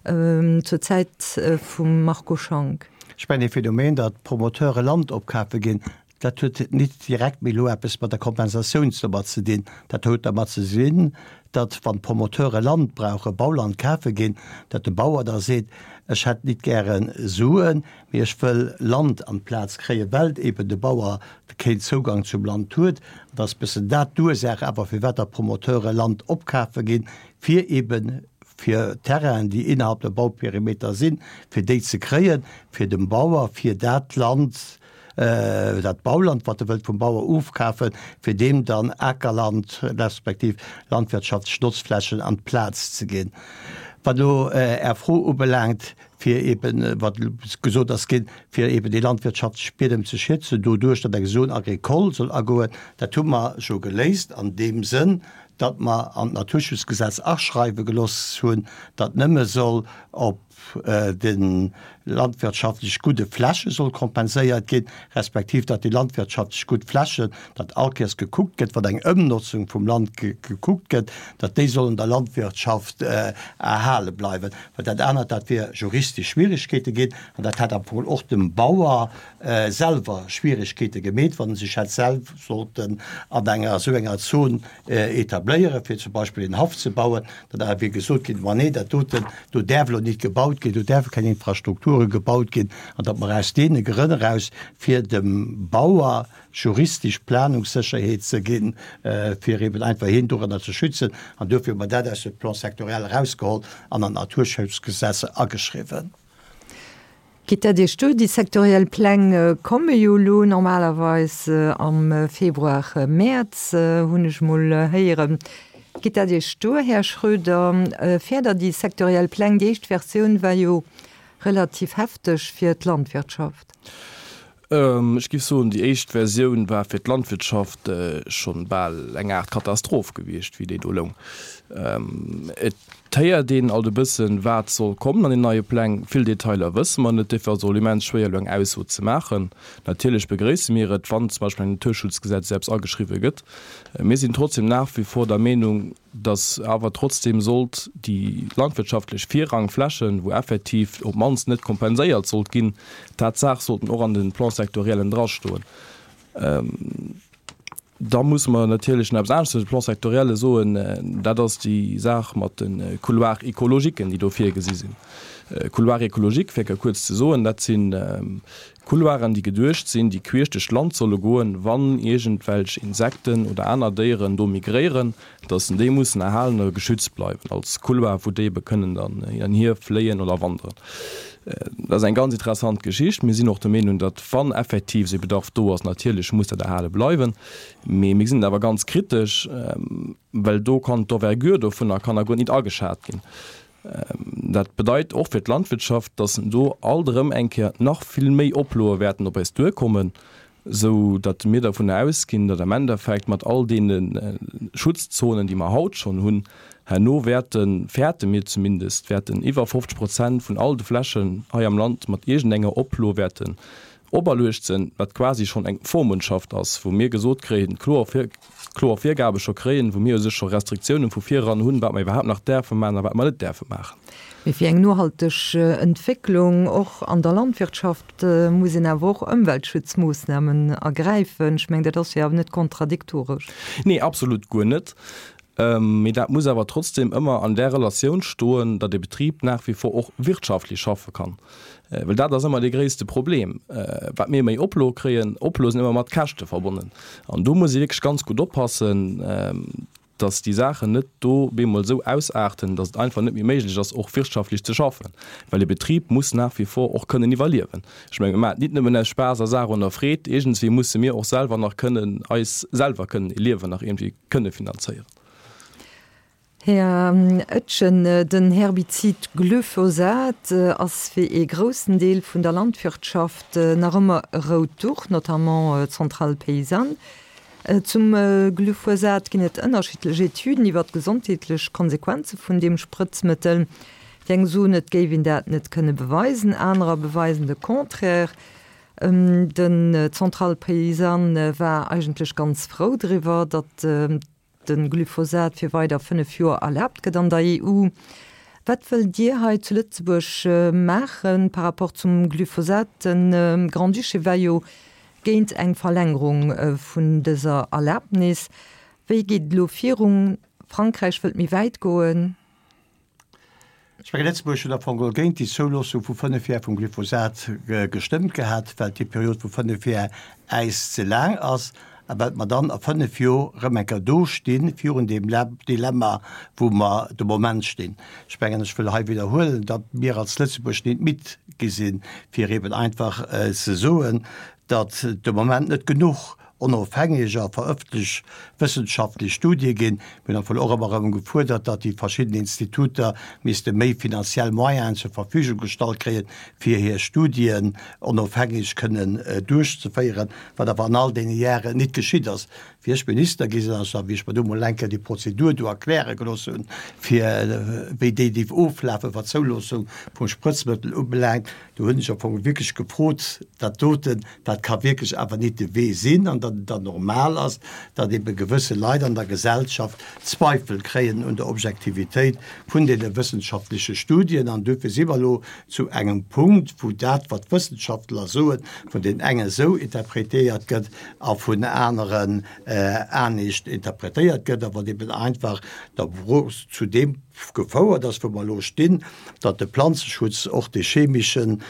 zur Zäit vum Marco Schank. Ech mengen, dee Phänomen, datt Promoteure Land opkafe ginn, Dat huet nit direkt méi elo eppes mat der Kompensatiounsnummer ze dinn. Dat huet dermat ze sinn, datt, wann d'Promoteure Land brauchen, Bauland kafe ginn, datt de Bauer da seet, Ech hätt nit gäre Suen, mee ech wëll Land an d'Plaz kréien, well eben de Bauer keen Zougang zum Land huet. Et ass e bëssen dat d'Ursaach awer, firwat datt d'Promoteure Land opkafe ginn, fir eben fir Terrainen, déi innerhalb der Bauperimeter sinn, fir déi ze kréien, fir dem Bauer, fir dat Land, dat Bauland, wat e wëllt vum Bauer ofkafen, fir deem dann Akerland respektiv landwirtschaftlech Notzflächen an d'Plaz ze ginn. Wat elo Är Fro ubelaangt, fir eeben, wat gesot ass ginn, fir eeben déi landwirtschaftlech Biedem ze schützen, doduerch datt eng Zone agricole soll agoen, dat hu mer jo geléist an deem Sënn, datt mer an d'Naturschutzgesetz aschreiwe geloss hunn, datt nëmme soll op de landwirtschaftlech gudde Fläche soll kompenséiert ginn, respektiv datt déi landwirtschaftlech gutt Flächen, datt all Kéiers gekuckt gëtt, wann eng Ëmnotzung vum Land gekuckt gëtt, datt déi sollen der Landwirtschaft erhale bleiwen. Well dat anert, dat wier juristesch Schwierigkeete ginn an dat hätt am Fong och dem Bauer selwer Schwierigkeete gemeet, wann en sech hätt selw sollten an enger esou enger Zon etabléieren, fir zum Beispill een Haff ze bauen, dann awer wier gesot ginn, Ma nee, dat doten, do däerf elo nit gebaut ginn, do däerfe keng Infrastrukture gebaut ginn, an datt mer aus deene Grënn eraus, fir dem Bauer juristesch Planungssécherheet ze ginn, fir eben einfach hien doranner ze schützen, an duerfir hu mer dat aus dem Plan sectoriel erausgeholl an an d'Naturschutzgesetz ageschriwwen. Geet dat Iech duer? Déi sektoriell Pläng komme jo elo normalerweis am Februar, Mäerz, hunn ech mol héieren. Geet dat Iech duer, Här Schroeder? Fäert Der déi sektoriell Pläng? Déi éischt Versioun war jo relativ hefteg fir d'Landwirtschaft. Ech géif soen, déi éischt Versioun war fir d'Landwirtschaft schonn bal eng Aart Katastroph gewiescht, wéi déi do loung. Et héiert een alt e bëssen, wat soll kommen an den neie Pläng. Vill Detailer wësse mer net, duerfir ass et och immens schwéier, elo eng Ausso ze maachen. Natierlech begréisse mir et, wann zum Beispill am Naturschutzgesetz eppes ageschriwwe gëtt. Mir sinn trotzdem nach wie vor der Meenung, dass awer trotzdem sollt déi landwirtschaftlech Virrangflächen, wou effektiv op d'mannst net kompenséiert sollt ginn, Tatsaach sollten och an de Plan-sectoriellen drastoen. Da musse mer natierlech nach eppes anescht zu de Plan-sectorielle soen, dat ass déi Saach mat de Couloirs écologiquen, déi do virgesi sinn. Couloir écologique, fir kuerz ze soen, dat sinn Couloiren, déi geduecht sinn, déi queesch duerch d'Land solle goen, wann iergendwelch Insekten oder aner Déieren do migréieren, dass déi mussen erhalen oder geschützt bleiwen als Couloir, wou déi ebe kënnen dann hin an hier fléien oder wanderen. Dat ass eng ganz interessant Geschicht. Mir sinn och der Meenung, datt wann effektiv esou e Bedarf do ass, natierlech muss dat erhale bleiwen. Mee mir sinn awer ganz kritesch, well do kann d'Envergure dovunner kann a guer nit ageschat ginn. Dat bedeit och fir d'Landwirtschaft, datt do alt erëm eng Kéier nach vill méi Oploe wäerten op eis duerkommen, esou datt mir dovunner ausginn, datt am Endeffekt mat all deene Schutzzonen, déi mer haut schonn hunn, herno wäerten, fäerte mir zumindest, wäerten iwwer fofzeg Prozent vun all de Flächen hei am Land mat iergendenger Oplo wäerten operluecht sinn, wat quasi schonn eng Vormundschaft ass, wou mir gesot kréien, kloer Vir, kloer Virgabe scho kréien, wou mir u sech scho Restriktiounen vu vireran hunn, wat mer iwwerhaapt nach däerfe maachen a wat mer net däerfe maachen. Mee fir eng nohalteg Entwécklung och an der Landwirtschaft muss een awer och Ëmweltschutzmoossnamen ergräifen. Ech mengen, dat ass jo awer net kontradiktoresch. Nee, absolut guer net. Mee dat muss awer trotzdem ëmmer an där Relatioun stoen, datt e Betrib nach wie vor och wirtschaftlech schaffe kann. Well dat ass ëmmer dee gréisste Problem. Wat mir méi Oploe kréien, Oploe sinn ëmmer mat Käschte verbonnen. An do muss ee wierklech ganz gutt oppassen, datt déi Saachen net do bemol esou ausaarten, datt et einfach net méi méiglech ass, och wirtschaftlech ze schaffen. Well e Betrib muss nach wie vor och kënnen iwwerliewen. Ech menge mir maachen et nit nëmmen aus Spaass a Saach an der Freed, iergendswéi musse mir och selwer nach kënnen eis selwer kënnen e Liewen nach iergendwéi kënne finanzéieren. Här Etgen, den Herbizid Glyphosat ass fir ee groussen Deel vun der Landwirtschaft nach ëmmer e rout Duch, notamment d'Centrale paysanne. Zum Glyphosat ginn et ënnerschiddlech Etüden iwwer d'gesondheetlech Konsequenze vun deem Sprëtzmëttel. Déi eng soen, et géif een dat net kënne beweisen, anerer beweisen de Contraire. Den Centrale paysanne war eigentlech ganz frou driwwer, datt de Glyphosat fir weider fënnef Joer erlaabt gëtt an der E U. Wat wëllt Dir hei zu Lëtzebuerg maache par rapport zum Glyphosat? De Grand-Duché war jo géint eng Verlängerung vun dëser Erlabnis. Wéi geet et elo virun? Frankräich wëllt méi wäit goen. Ech mengen, Lëtzebuerg huet am Fong geholl géint déi Zouloossung vu fënnef Jar vum Glyphosat gestëmmt gehat, well déi Period vu fënnef Jar äis ze laang ass a well mer dann a fënnef Jor erëm eng Kéier do stinn, virun deem Dilemma, wou mer de Moment stinn. Ech mengen, ech wëll hei widderhuelen, datt mir als Lëtzebuerg nit midd gi sinn, fir eben einfach ze soen, datt de Moment net genuch onofhängeg a verëffentlech wëssenschaftlech Studie ginn. Mir hunn am Fong och ëmmer erëm gefuerdert, datt déi verschidden Instituter misste méi finanziell Moyenen zur Verfügung gestallt kréien, fir hir Studien onofhängeg kënnen duerchzeféieren, wat awer an all deene Jaren nit geschitt ass. Wéi ech Minister gi sinn, also wéi ech mer do mol eng Kéier déi Prozedur do erkläre gelooss hunn, fir wéi déi dierf oflafen, wat d'Zouloossung vum Sprëtzmëttel ubelaangt, do hunn ech am Fong wierklech gefrot, dat doten, dat ka wierklech awer nit de Wee sinn, an datt et dann normal ass, datt ebe gewësse Leit an der Gesellschaft Zweifel kréien un der Objektivitéit vun deene wëssenschaftleche Studien. An duerfir si mer elo zu engem Punkt, wou dat, wat d'Wëssenschaftler soen, vun deenen engen esou interpretéiert gëtt a vun aneren anescht interpretéiert gëtt a wat eben einfach da zu deem gefouert ass, wou mer elo stinn, datt de Planzeschutz, och dee chemeschen,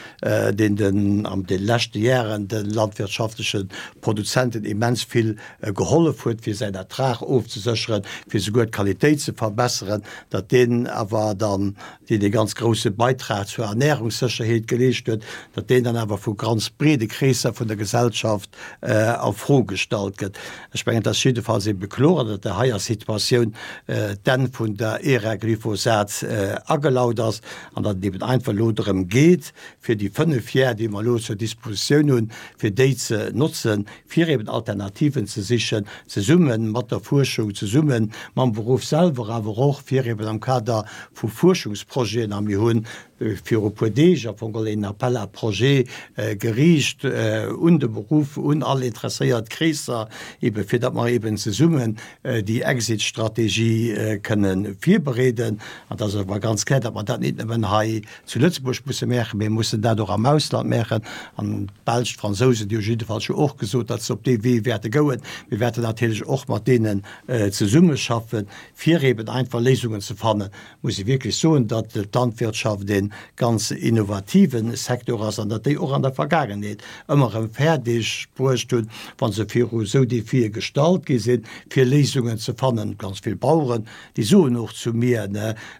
deen den an de leschte Jaren de landwirtschaftleche Produzenten immens vill gehollef huet, fir säin Ertrag ofzesécheren, fir souguer d'Qualitéit ze verbesseren, datt deen awer dann, deen ee ganz grouse Beitrag zur Ernährungssécherheet geleescht huet, datt deen dann awer vu ganz breede Kreesser vun der Gesellschaft a Fro gestallt gëtt. Ech mengen, et ass jiddefalls ebe kloer, datt der heier Situatioun d'Enn vun der Ära Glyphosat agelaut ass an datt et eben einfach elo drëm geet, fir déi fënnef Jar, déi mer elo zur Dispositioun hunn, fir déi ze notzen, fir eben Alternativen ze sichen, zesumme mat der Fuerschung, zesumme mam Beruff selwer, awer och fir eben am Kader vu Fuerschungsprojeten, a mir hunn viru puer Deeg am Fong geholl een Appel à projets geriicht un de Beruff, un all interesséiert Kreesser, ebe fir datt mer eben zesummen déi Exit-Strategie kënne virbereeden. An et ass awer ganz kloer, datt mer dat nit nëmmen hei zu Lëtzebuerg musse maachen, mee mussen dat och am Ausland maachen. An d'Belsch, d'Fransousen, déi hu jiddefalls jo och gesot, datt se op dee Wee wäerte goen. Mir wäerten natierlech och mat deenen zesummeschaffen, fir eben einfach Léisungen ze fannen. Muss ee wierklech soen, datt d'Landwirtschaft een ganz innovative Secteur ass an datt déi och an der Vergaangenheet ëmmer erëm fäerdeg bruecht hunn, wa se viru esou Defie gestallt gi sinn, fir Léisungen ze fannen. Ganz vill Baueren, déi soen och zu mir,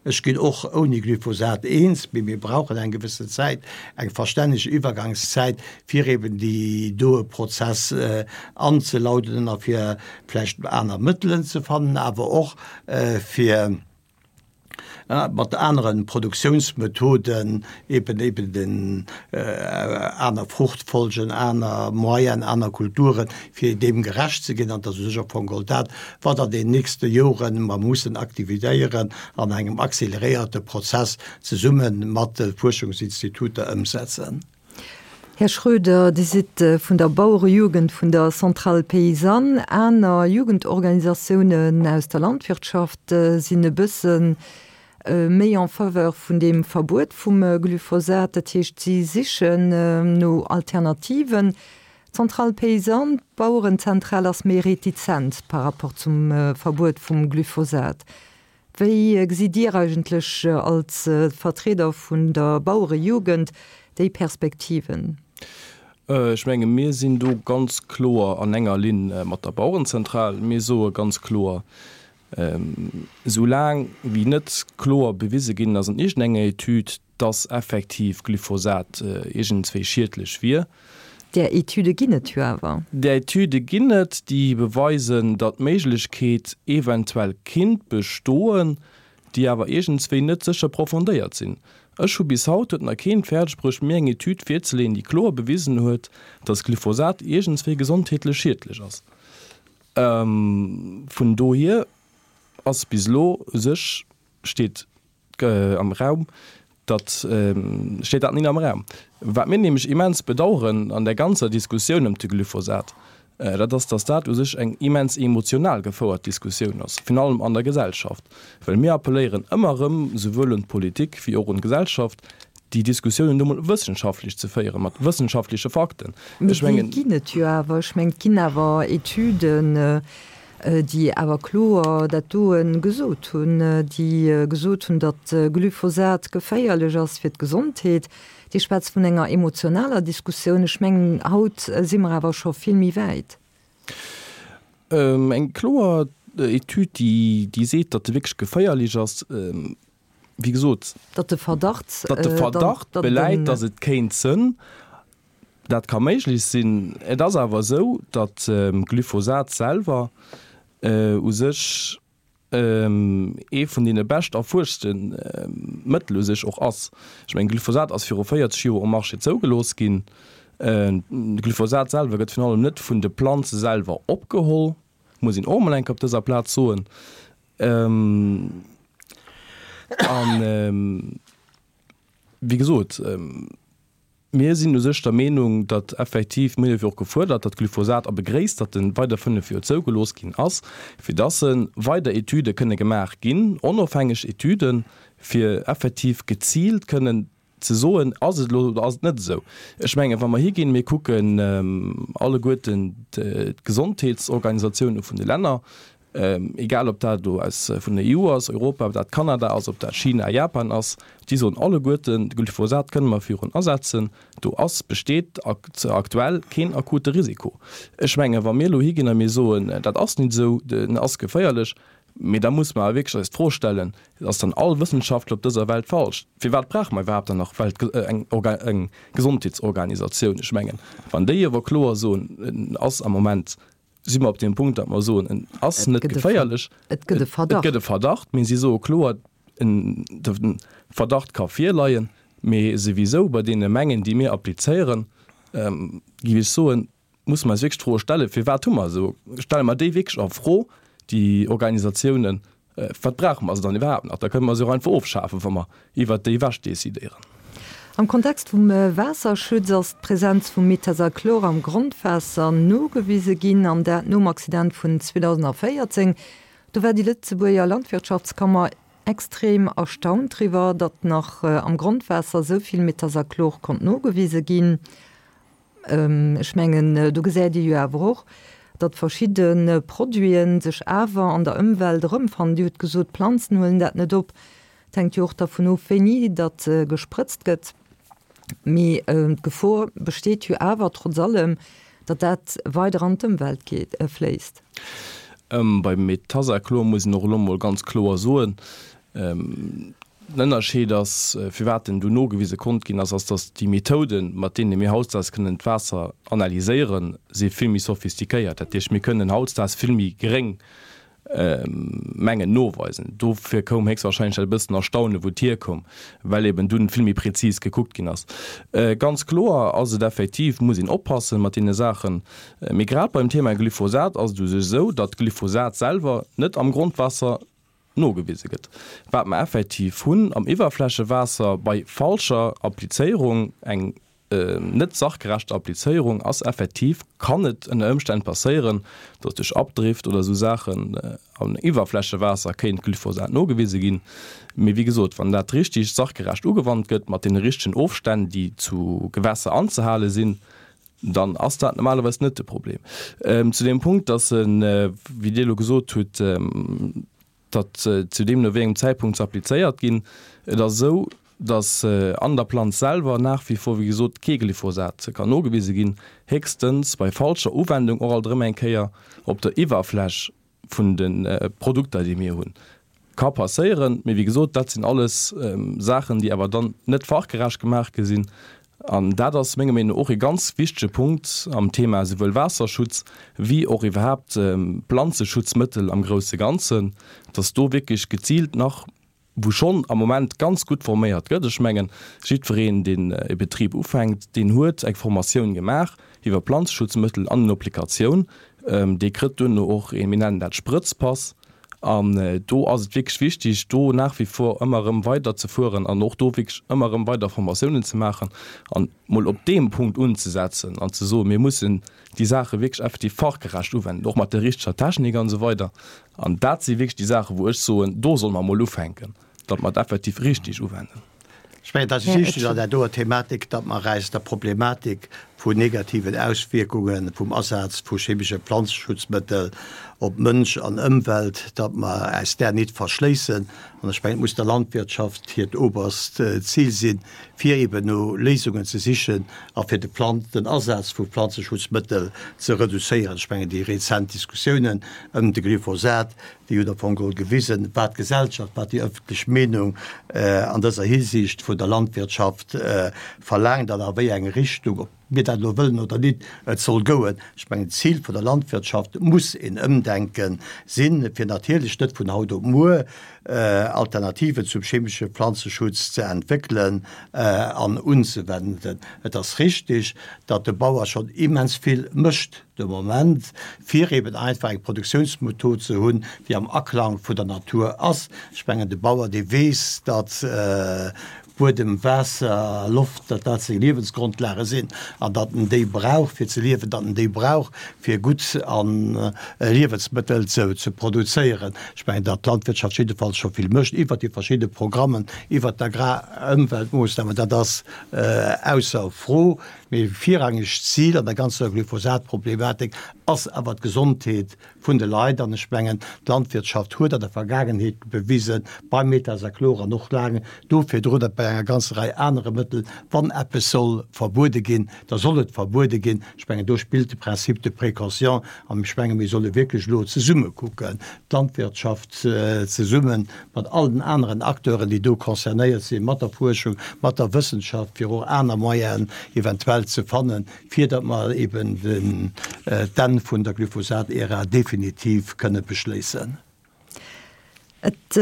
Ech ginn och ouni Glyphosat eens, mee mir brauchen eng gewëssen Zäit, eng verstänneg Iwwergangszäit, fir eben déi doe Prozess anzelauden a fir vläicht aner Mëttelen ze fannen, awer och fir mat anere Produktiounsmethoden eben eben den aner Fruchtfolgen, aner Moyen, aner Kulturen, fir deem gerecht ze ginn. An dat ass u sech am Fong geholl dat, wat an den nächste Joren mer mussen aktivitéieren an engem acceleréierte Prozess zesumme mat de Fuerschungsinstituter ëmsetzen. Här Schroeder, Dir sidd vun der Bauerejugend vun der Centrale Paysanne. Aner Jugendorganisatiounen aus der Landwirtschaft sinn e bësse méi en faveur vun deem Verbuet vum Glyphosat. Dat heescht, si sichen no Alternativen. D'Centrale Paysanne, d'Bauerenzentral, ass méi retizent par rapport zum Verbuet vum Glyphosat. Wéi gesitt Dir eigentlech als Vertrieder vun der Bauerejugend déi Perspektiven? Ech menge mir sinn do ganz kloer an enger Linn mat der Bauerenzentral. Mir soe ganz kloer, Esou laang wéi net kloer bewise ginn ass an iergendenger Etüd, dass effektiv Glyphosat iergendswéi schiedlech wier. Där Etüde ginn et jo awer. Där Etüde ginn et, déi beweisen, datt d'Méiglechkeet eventuell kinnt bestoen, déi awer iergendswéi net sécher profondéiert sinn. Ech hu bis haut, huet nach keen fäerdeg bruecht, mir eng Etüd virzeleeën, déi kloer bewisen huet, datt Glyphosat iergendswéi gesondheetlech schiedlech ass. Vun dohier ass bis elo u sech, steet am Raum, datt, steet dat net am Raum. Wat mir nämlech immens bedauern an där ganzer Diskussioun ëm de Glyphosat, dat ass, datt dat u sech eng immens emotional gefouert Diskussioun ass, virun allem an der Gesellschaft. Well mir appelléieren ëmmer erëm, souwuel un d'Politik wéi och un d'Gesellschaft, déi Diskussiounen nu mol wëssenschaftlech ze féieren, mat wëssenschaftleche Fakten. Mee déi ginn et jo awer. Ech mengen, et ginn awer Etüden, déi awer kloer dat doe gesot hunn, déi gesot hunn, datt Glyphosat geféierlech ass fir d'Gesondheet. Dir schwätzt vun enger emotionaler Diskussioun. Ech mengen, haut si mer awer scho vill méi wäit. Eng kloer Etüd, déi seet, datt e wierklech geféierlech ass, wéi gesot, datt de Verdacht, datt de Verdacht beläit, datt et kéint sënn, dat ka méiglech sinn. Et ass awer esou, datt Glyphosat selwer u sech ee vun deene bescht erfuerschte Mëttel u sech och ass. Ech mengen, Glyphosat ass viru véierzeg Joer um Marché zougelooss ginn. Glyphosat selwer gëtt virun allem net vun de Planze selwer opgeholl, muss een och emol eng Kéier op dëser Plaz soen. An, wéi gesot, mir sinn u sech der Meenung, datt effektiv, mir hunn jo och gefuerdert, datt Glyphosat, a begréisst, datt e weider fënnef Joer zougelooss ginn ass, fir datt weider Etüde kënne gemaach ginn, onofhängeg Etüden, fir effektiv geziilt kënnen ze soen, ass et elo oder ass et net esou. Ech mengen, wa mer higinn, mir kucken alleguerten d'Gesondheetsorganisatioune vun de Länner, egal ob dat elo aus vun der E U ass, Europa, ob dat Kanada ass, ob dat China, Japan ass, déi soen alleguerten, de Glyphosat kënne mer virun asetzen, do ass, besteet aktuell keen akute Risiko. Ech mengen, wa mir elo higinn a mir soen, dat ass net esou, en ass geféierlech, mee da musse mer awer wierklech eis d'Fro stellen, Ass dann all Wëssenschaftler op dëser Welt falsch? Firwat brauche mer iwwerhaapt dann nach Welt, eng Orga, eng Gesondheetsorganisatioun? Ech mengen, wann déi awer kloer soen, en ass am Moment, si mer op deem Punkt, datt mer soen, en ass net geféierlech, et gëtt e Verdacht, et gëtt e Verdacht, mee si soe kloer, en, de Verdacht ka virleien, mee souwisou bei deene Mengen, déi mir applizéieren, géif ech soen, musse mer eis wierklech d'Fro stellen, Firwat hu mer esou, stelle mer déi wierklech a Fro, déi Organisatiounen? Wat brauche mer se dann iwwerhaapt nach? Da kënne mer se och einfach ofschafen, wa mer iwwert déi ewech decidéieren. Am Kontext vum Waasserschutz ass d'Presenz vum Metazalchlor am Grondwaasser nogewise ginn, an dat nom Accident vun zweedausendvéierzéng. Do war déi Lëtzebuerger Landwirtschaftskammer extrem erstaunt driwwer, datt nach am Grondwaasser esou vill Metazalchlor konnt nogewise ginn. Ech mengen, do gesäit ee jo awer och, datt verschidde Produite sech awer an der Ëmwelt erëmfannen. Dir hutt gesot, d'Planzen huelen dat net op. Et hänkt jo och dervun of, wéini datt gesprëtzt gëtt. Mee d'Gefor besteet jo awer trotz allem, datt dat weider an d'Ëmwelt geet, fléisst. Beim Metazachlor muss een och elo mol ganz kloer soen, den Ënnerscheed ass, firwat en do nogewise konnt ginn ass, ass, datt déi Methoden, mat deene mir hautdesdaags kënnen d'Waasser analyséieren, si vill méi sophistiquéiert. Dat heescht, mir kënnen hautdesdaags vill méi geréng Mengen noweisen. Dofir koum héchstwahrscheinlech dat e bëssen Erstaune wou et hierkoum, well eben dunn vill méi prezis gekuckt ginn ass. Ganz kloer ass et effektiv, muss een oppassen mat deene Saachen. Mee grad beim Thema Glyphosat ass et u sech esou, datt Glyphosat selwer net am Grondwaasser nogewise gëtt. Wat mer effektiv hunn am Iwwerflächewaasser bei falscher Applizéierung, eng net sachgerechter Applizéierung, ass effektiv, kann et ënner Ëmstänn passéieren, datt duerch Abdrift oder esou Saachen am Iwwerflächewaasser kéint Glyphosat nogewise ginn. Mee wéi gesot, wann dat richtig sachgerecht ugewannt gëtt, mat deene richtegen Ofstänn, déi zu Gewässer anzehale sinn, dann ass dat normalerweis net de Problem. Zu deem Punkt, datt en, wéi Dir elo gesot hutt, datt zu deemno wéi engem Zäitpunkt se applizéiert ginn, et ass esou, datt an der Planz selwer nach wie vor, wéi gesot, kee Glyphosat kann nogewise ginn, héchstens bei falscher Uwendung och alt erëm eng Kéier op der Iwwerfläch vun de Produkter, déi mir hunn. Ka passéieren, mee wéi gesot, dat sinn alles Saachen, déi awer dann net fachgerecht gemaach gi sinn. An dat ass menger Meenung no och e ganz wichtege Punkt am Thema souwuel Waasserschutz wéi och iwwerhaapt Planzeschutzmëttel am grousse Ganzen, dass do wierklech geziilt nach, wou schonn am Moment ganz gutt forméiert gëtt, ech mengen, jiddwereen, deen e Betrib ufänkt, deen huet eng Formatioun gemaach iwwer Planzeschutzmëttel an den Applikatioun, dee kritt duerno och een, mir nennen dat Sprëtzpass. An do ass et wierklech wichtig, do nach wie vor ëmmer erëm weiderzefueren an och do wierklech ëmmer erëm weider Formatiounen ze maachen an mol op deem Punkt unzesetzen an ze soen, mir mussen déi Saache wierklech effektiv fachgerecht uwenden, och mat der richteger Technik an esou weider. An dat si wierklech déi Saachen, wou ech soen, do solle mer mol ufänken, datt mer et effektiv richtig uwenden. Ech mengen, et ass wichteg an där doer Thematik, datt mer eis der Problematik vun negativen Auswierkunge vum Asaz vu chemesche Planzeschutzmëttel op Mënsch an Ëmwelt, datt mer eis där nit verschléissen. An ech mengen, et muss der Landwirtschaft hiert oberst Zil sinn, fir eben no Léisungen ze sichen a fir de Plan, den Asaz vu Planzeschutzmëttel ze reduzéieren. Ech mengen, déi rezent Diskussiounen ëm de Glyphosat, Déi hunn am Fong geholl gewisen, wat d'Gesellschaft, wat déi ëffentlech Meenung an dëser Hisiicht vun der Landwirtschaft verlaangt an a wéi eng Richtung, ob mir dat elo wëllen oder nit, et soll goen. Ech mengen, d'Zil vun der Landwirtschaft muss een Ëmdenke sinn, fir natierlech net vun haut op muer Alternativen zum chemesche Planzeschutz ze entwéckelen an unzewenden. Et ass richtig, datt de Bauer schonn immens vill mécht de Moment, fir eben einfach eng Produktiounsmethod ze hunn, déi am Aklang vun der Natur ass. Ech mengen, de Bauer, dee weess, datt Buedem, Waasser, Loft, datt dat seng Liewensgrondlage sinn an datt en déi brauch, fir ze liewen, datt en déi brauch, fir gutt a Liewensmëttel ze produzéieren. Ech mengen, datt d'Landwirtschaft jiddefalls scho vill mécht iwwert déi verschidde Programmen, iwwert d'Agrarëmweltmoossnamen, dat ass ausser Fro. Mee virrangegt Zil an der ganzer Glyphosat-Problematik ass awer d'Gesondheet vun de Leit. An ech mengen, d'Landwirtschaft huet an der Vergaangenheet bewisen, beim Metazachlor an och laang do virdrun a bei enger ganzer Rei anere Mëttel, wann eppes soll verbuede ginn, da soll et verbuede ginn. Ech mengen, do spillt de Principe de précaution. An ech menge mir solle wierklech elo zesumme kucken, d'Landwirtschaft zesumme mat all den aneren Acteuren, déi do concernéiert sinn, mat der Fuerschung, mat der Wëssenschaft, fir och aner Moyenen eventuell ze fannen, fir datt mer eben d'Enn vun der Glyphosat-Ära definitiv kënne beschléissen. Et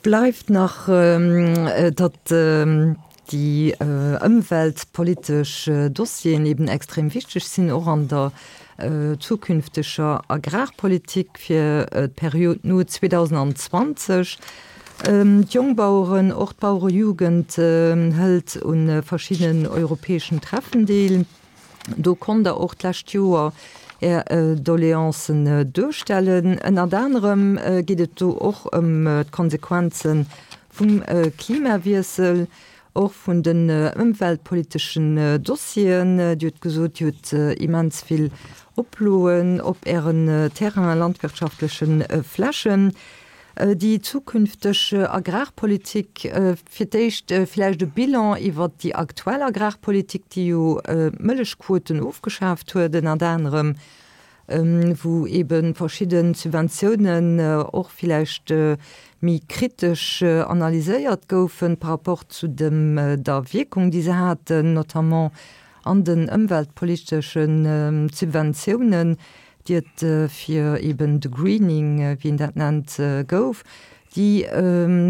bleift nach, datt déi ëmweltpolitesch Dossieren eben extrem wichteg sinn, och an der zukünfteger Agrarpolitik fir d'Period no zweedausendzwanzeg. D'Jongbaueren, och d'Bauerejugend hëlt u verschiddenen europäeschen Treffen deel. Do konnt Der och d'lescht Joer Är Doleancen duerstellen. Ënnert anerem geet et do och ëm d'Konsequenze vum Klimawiessel, och vun den ëmweltpoliteschen Dossieren. Dir hutt gesot, Dir hutt immens vill Oploen op Ären Terrainen, landwirtschaftleche Flächen. Déi zukünfteg Agrarpolitik, fir d'éischt vläicht e Bilan iwwert déi aktuell Agrarpolitik, déi jo d'Mëllechquoten ofgeschaaft huet ënnert anerem, wou eebe verschidde Subventiounen och vläicht méi kritesch analyséiert goufen par rapport zu dem der Wierkung, déi se haten, notamment an den ëmweltpolitesche Subventiounen, déi et fir eben de Greening, wéi een dat nennt, gouf. Déi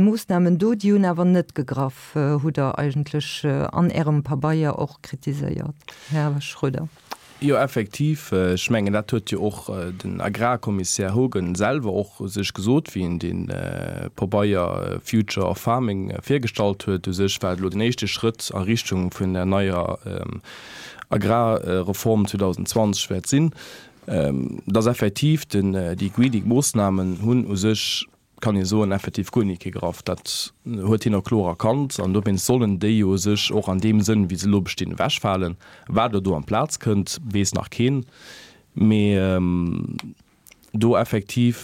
Moossnamen do, déi hunn awer net gegraff, hutt Der eigentlech an Ärem Pabeier och kritiséiert, Här Schroeder. Jo, effektiv. Ech mengen, dat huet jo och den Agrarkommissär Hogan selwer och u sech gesot, wéi en dee Pabeier Future of Farming virgestallt huet. U sech war et elo den éischte Schrëtt a Richtung vun der neier Agrarreform zweedausendzwanzeg wäert sinn, dass effektiv den, déi Greening-Moossnamen hunn u sech, kann ee soen, effektiv guer ni gegraff. Dat huet hien och kloer erkannt an dowéinst sollen déi jo u sech och an deem Sënn, wéi se elo bestinn, ewechfalen. Wat elo do amplaz kënnt, weess nach keen. Mee do effektiv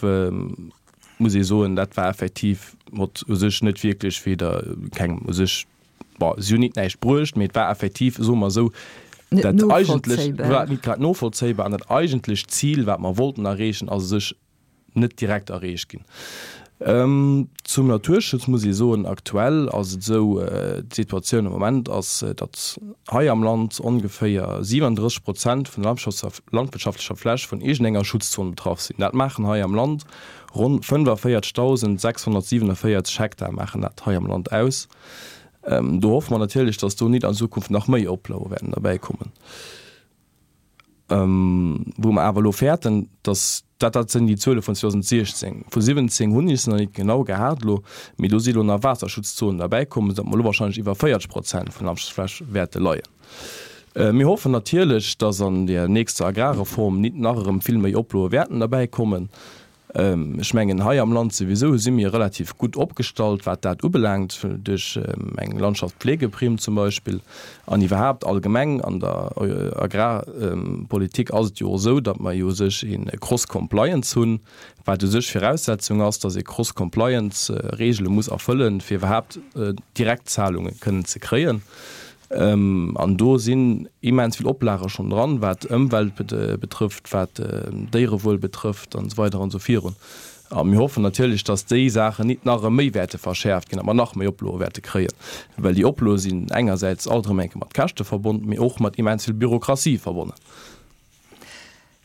muss ee soen, dat war effektiv mat u sech net wierklech weder kengem u sech, bon, si hunn nit näischt bruecht, mee et war effektiv, soe mer esou, dat eigentlech war nit grad novollzéibar an dat eigentlecht Zil, wat mer wollten erreechen, ass u sech net direkt erreecht ginn. Zum Naturschutz muss ee soen, aktuell ass et esou, d'Situatioun am Moment ass, datt hei am Land ongeféier siwenunddrësseg Prozent vun der landwirtschaftlecher Fläch vun iergendenger Schutzzon betraff sinn. Dat maachen hei am Land ronn fënnefavierzegsdausendsechshonnertsiewenundvéierzeg Hektar maachen dat hei am Land aus. Do hoffe mer natierlech, datt do nit an Zukunft nach méi Oplaue wäerten derbäikommen. Wou mer awer elo fäerten, datt, dat dat sinn déi Zuele vun zweedausendsechzehn, vu siwwenzéng hunn ech se nach nit genau gehat elo, mee do si elo nach Waasserschutzzonen derbäikomm, esou datt mer elo wahrscheinlech iwwer véierzeg Prozent vun der Landwirtschaftsfläch wäerte leien. Mir hoffen natierlech, datt an där nächster Agrarreform nit nach erëm vill méi Oploe wäerten derbäikommen. Ech mengen, hei am Land souwisou si mir relativ gutt opgestallt, wat dat ubelaangt, duerch eng Landschaftspflegeprimm zum Beispill. An iwwerhaapt allgemeng an der Agrarpolitik ass et jo och esou, datt mer jo u sech ee Cross-Compliance hunn, wat u sech Viraussetzung ass, datt ee Cross-Compliance-Regele muss erfëllen, fir iwwerhaapt Direktzahlunge kënnen ze kréien. An do sinn immens vill Oplage schonn dran, wat Ëmwelt betrëfft, wat Déierewuel betrëfft an esou weider an esou virun. A mir hoffen natierlech, datt déi Saachen nit nach erëm méi wäerte verschäerft ginn, datt mer nach méi Oploe wäerte kréien. Well déi Oploe sinn engersäits alt erëm eng Kéier mat Käschte verbonnen, mee och mat immens vill Bürokratie verbonnen.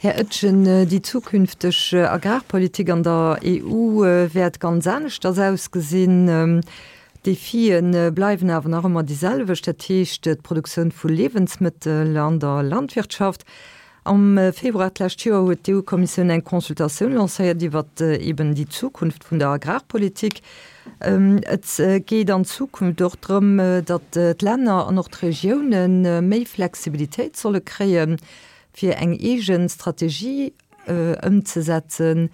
Här Etgen, déi zukünfteg Agrarpolitik an der E U wäert ganz aneschters ausgesinn. D'Defie bleiwen awer nach ëmmer déi selwecht, dat heescht d'Produktioun vu Liewensmëttel an der Landwirtschaft. Am Februar d'lescht Joer huet d'E U-Kommissioun eng Consultatioun lancéiert iwwer eben déi Zukunft vun der Agrarpolitik. Et geet an Zukunft och drëm, datt d'Länner an och d'Regioune méi Flexibilitéit solle kréien, fir eng eege Strategie ëmzesetzen.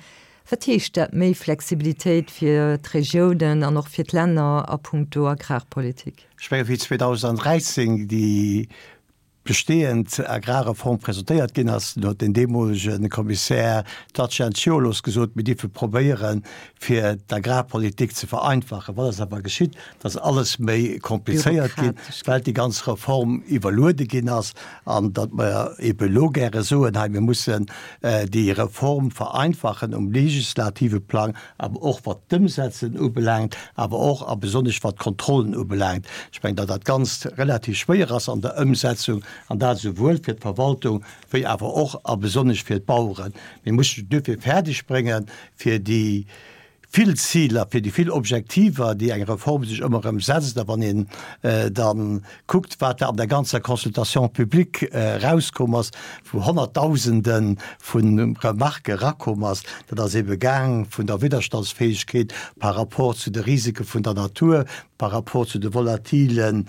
Wat heescht dat, méi Flexibilitéit fir d'Regiounen an och fir d'Länner a puncto Agrarpolitik? Ech menge wéi zweedausenddräizéng déi bestehend Agrarreform presentéiert ginn ass, huet den deemolege Kommissär Dacian Ciolos gesot, mir dierfe probéieren, fir d'Agrarpolitik ze vereinfachen. Wat ass awer geschitt? Et ass alles méi komplizéiert ginn, well déi ganz Reform iwwerluede ginn ass an datt mer ebe elo gäre soen, hei mir mussen déi Reform vereinfachen um legislative Plang, awer och wat d'Ëmsetzen ubelaangt, awer och a besonnesch wat d'Kontrollen ubelaangt. Ech mengen, datt dat Ganzt relativ schwéier ass an der Ëmsetzung, an dat esouwuel fir d'Verwaltung wéi awer och a besonnesch fir d'Baueren. Mir mussen et duerfir fäerdeg bréngen, fir déi vill Ziler, fir déi vill Objektiver, déi eng Reform sech ëmmer erëm setzt, a wann een da kuckt, wat da an der ganzer Consultation publique erauskomm ass, wou Honnertdausende vu Remarquë erakomm ass, dat ass ebe gaang vun der Widderstandsfäegkeet par rapport zu de Risike vun der Natur, par rapport zu de volatile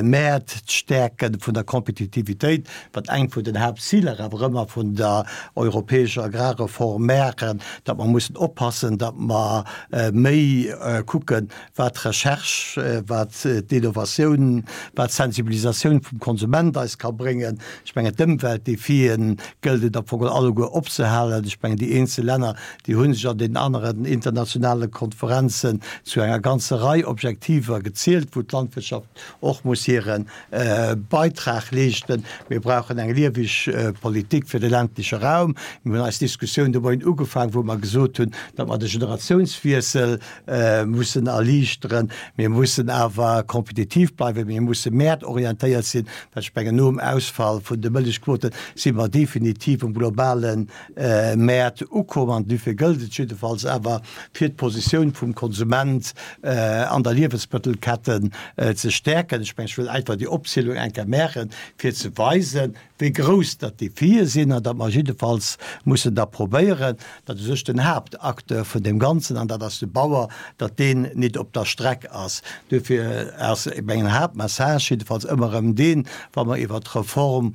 Mäert, d'Stäerke vun der Kompetitivitéit, wat eng vun den Haaptziler awer ëmmer vun der europäescher Agrarreform wären, datt mer mussen oppassen, datt mer méi kucken, wat d'Recherche, wat d'Innovatioun, wat d'Sensibilisatioun vum Konsument eis ka bréngen. Ech mengen, d'Ëmweltdefien gëllt et am Fong alleguer opzehalen. Ech mengen, déi eenzel Länner, déi hu sech an deenen aneren internationale Konferenzen zu enger ganzer Rei Objektiver gezielt, wou d'Landwirtschaft och muss hire Beitrag leeschten. Mir brauchen eng lieweg Politik fir de ländleche Raum. Mir hunn eis Diskussioun de Moien ugefaangen, wou mer gesot hunn, datt mer de Generatiounswiessel mussen erliichteren. Mir mussen awer kompetitiv bleiwen. Mir musse mäertorientéiert sinn, well ech mengen, nom Ausfall vun de Mëllechquote si mer definitiv um globale Mäert ukomm. An dofir gëllt et jiddefalls awer, fir d'Positioun vum Konsument an der Liewensmëttelketten ze stäerken. Ech mengen, ech wëll einfach déi Opzielung eng Kéier maachen, fir ze weisen, wéi grouss datt d'Defie sinn an datt mer jiddefalls mussen da probéieren, datt u sech den Haaptacteur vun deem Ganzen, an dat ass de Bauer, datt deen nit op der Streck ass. Duerfir ass mengen Haaptmessage jiddefalls ëmmer erëm deen, wa mer iwwert d'Reform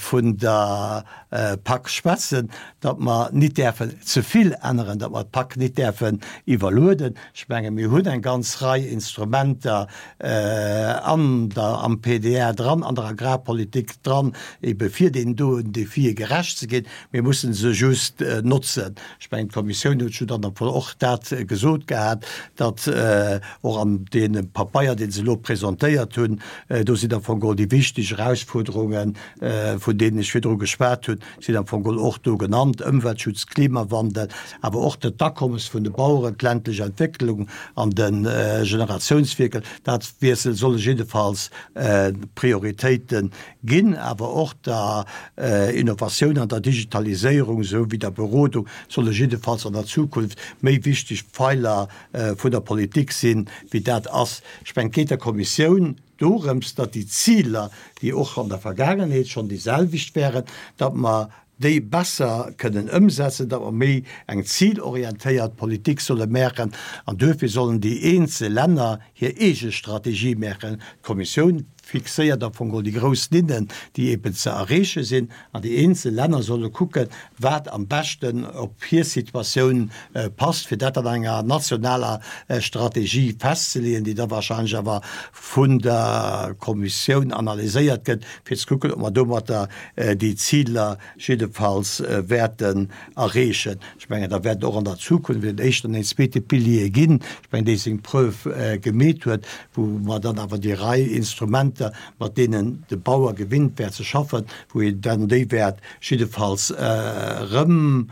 vun der Pak schwätzen, datt mer nit däerfen ze vill änneren, datt mer d'Pak nit däerfen iwwerlueden. Ech menge mir hunn eng ganz Rei Instrumenter an der, am P D R dran, an der Agrarpolitik dran, ebe fir deenen doen Defie gerecht ze ginn. Mir mussen se just notzen. Ech mengen, d'Kommissioun huet jo dann och dat gesot gehat, datt och an deem Papeier, dee se elo presentéiert hunn, do sinn am Fong geholl déi wichteg Erausfuerderungen, vun deenen ech virdru geschwat hunn, sinn am Fong geholl och do genannt, Ëmweltschutz, Klimawandel, awer och d'Akommes vun de Baueren, d'ländlech Entwécklung an de Generatiounswierkel. Dat Wiessel solle jiddefalls Prioritéite ginn, awer och der Innovatioun an der Digitaliséierung esou wéi der Berodung solle jiddefalls an der Zukunft méi wichteg Pfeiler vun der Politik sinn, wéi dat ass. Ech mengen, et geet der Kommissioun dorëms, datt déi Ziler, déi och an der Vergaangenheet schonn déi selwecht wären, datt mer déi besser kënnen ëmsetzen, datt mer méi eng zilorientéiert Politik solle maachen. An duerfir sollen déi eenzel Länner hir eege Strategie maachen. D'Kommissioun fixéiert am Fong geholl déi grouss Linnen, déi eben ze erreeche sinn, an déi eenzel Länner solle kucken, wat am beschten op hir Situatioun passt, fir dat an enger nationaler Strategie festzeleeën, déi da wahrscheinlech awer vun der Kommissioun analyséiert gëtt, fir ze kucken, ob mer domatter déi Ziler jiddefalls wäerten erreechen. Ech mengen, da wäert och an der Zukunft en éischten an en zweete Pilier ginn, ech mengen, dee seng Preuve gemeet huet, wou mer dann awer déi Rei Instrumenter, mat deenen de Bauer gewinnt wär ze schaffen, wou een dann déi wäert jiddefalls erëm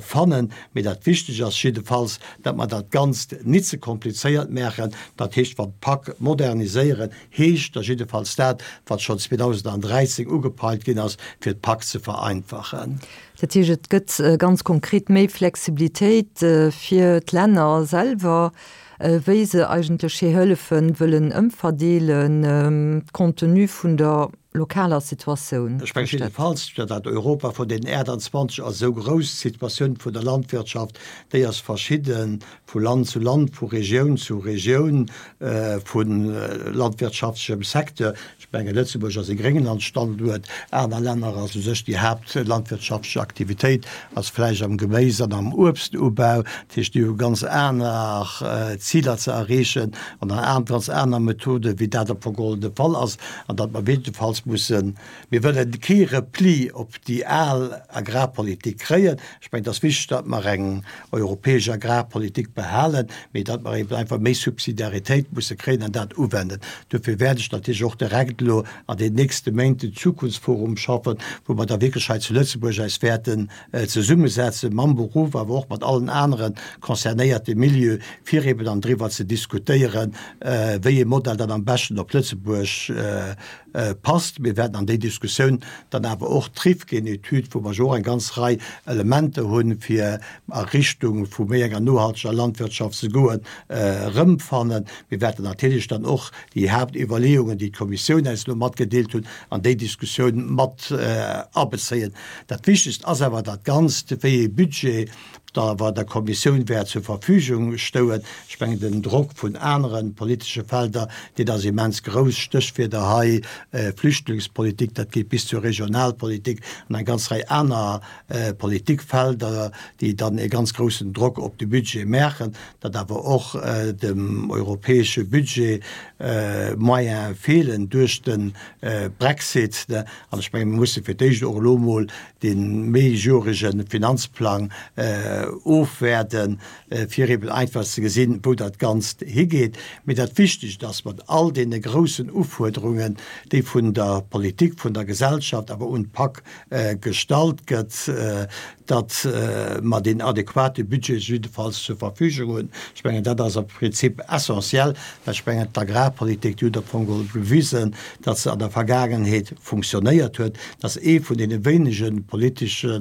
fannen. Mee dat Wichteg ass jiddefalls, datt mer dat Ganzt nit ze komplizéiert maachen. Dat heescht, wann d'Pak moderniséieren heescht da jiddefalls dat, wat schonn zweedausenddräizéng ugepeilt ginn ass, fir d'Pak ze vereinfachen. Dat heescht, et gëtt ganz konkret méi Flexibilitéit fir d'Länner selwer, wéi se eigentlech hir Hëllefen wëllen ëmverdeelen, compte tenu vun der lokaler Situatioun. Ech mengen jiddefalls, dat Europa vun den achtundzwanzeg ass esou grouss, d'Situatioun vun der Landwirtschaft, déi ass verschidde vu Land zu Land, vu Regioun zu Regioun, vu landwirtschaftlechem Secteur. Ech mengen, Lëtzebuerg ass e Grénglandstanduert, aner Länner ass u sech déi haaptlandwirtschaftlech Aktivitéit ass vläicht am Geméis an am Uebstubau. Dat heescht, déi hu ganz aner Ziler ze erreechen an ganz aner Methoden, wéi dat op Fong de Fall ass, an datt mer jiddefalls mussen, mir wëllen kee Repli op déi al Agrarpolitik kréien. Ech mengen, et ass wichteg, datt mer eng europäesch Agrarpolitik behalen, mee datt mer eben einfach méi Subsidiaritéit musse kréien an dat uwenden. Dofir wäert ech natierlech och direkt elo an den nächste Méint den Zukunftsforum schaffen, wou mer da wierklech hei zu Lëtzebuerg eis wäerten zesummesetzen, mam Beruff, awer och mat allen anere concernéierte Milieu, fir eben dann driwwer ze diskutéieren, wéi ee Modell dann am beschten op Lëtzebuerg passt. Mir wäerten an déi Diskussioun dann awer och d'Rifkin-Etüd, wou mer jo och eng ganz Rei Elementer hunn, fir a Richtung vu méi enger nohalteger Landwirtschaft ze goen, erëmfannen. Mir wäerten natierlech dann och déi Haaptiwwerleeungen, déi d'Kommissioun eis elo matgedeelt huet, an déi Diskussioun mat abezéien. Dat Wichtegst ass awer dat Ganzt, wéi ee Budget da awer der Kommissioun wäert zur Verfügung stoen. Ech mengen, den Drock vun anere politesche Felder, deen ass immens grouss, Stéchwierder hei, Flüchtlingspolitik, dat geet bis zur Regionalpolitik an eng ganz Rei aner Politikfelder, déi dann e ganz groussen Drock op de Budget maachen, datt awer och dem europäesche Budget Moyene feelen duerch de Brexit. An ech menge mir musse fir d'éischt och elo emol dee méijoerege Finanzplang ofwaarden, fir eben einfach ze gesinn, wou dat Ganzt higeet. Mee dat Wichtegst ass, mat all deene groussen Ufuerderungen, déi vun der Politik, vun der Gesellschaft awer un d'PAK gestallt gëtt, datt mer deen adequate Budget jiddefalls zur Verfügung hunn. Ech mengen, dat ass am Prinzip essentiell, well ech mengen, d'Agrarpolitik, déi huet am Fong geholl bewisen, datt se an der Vergaangenheet funktionéiert huet. Dat ass ee vun deene wéinege politesche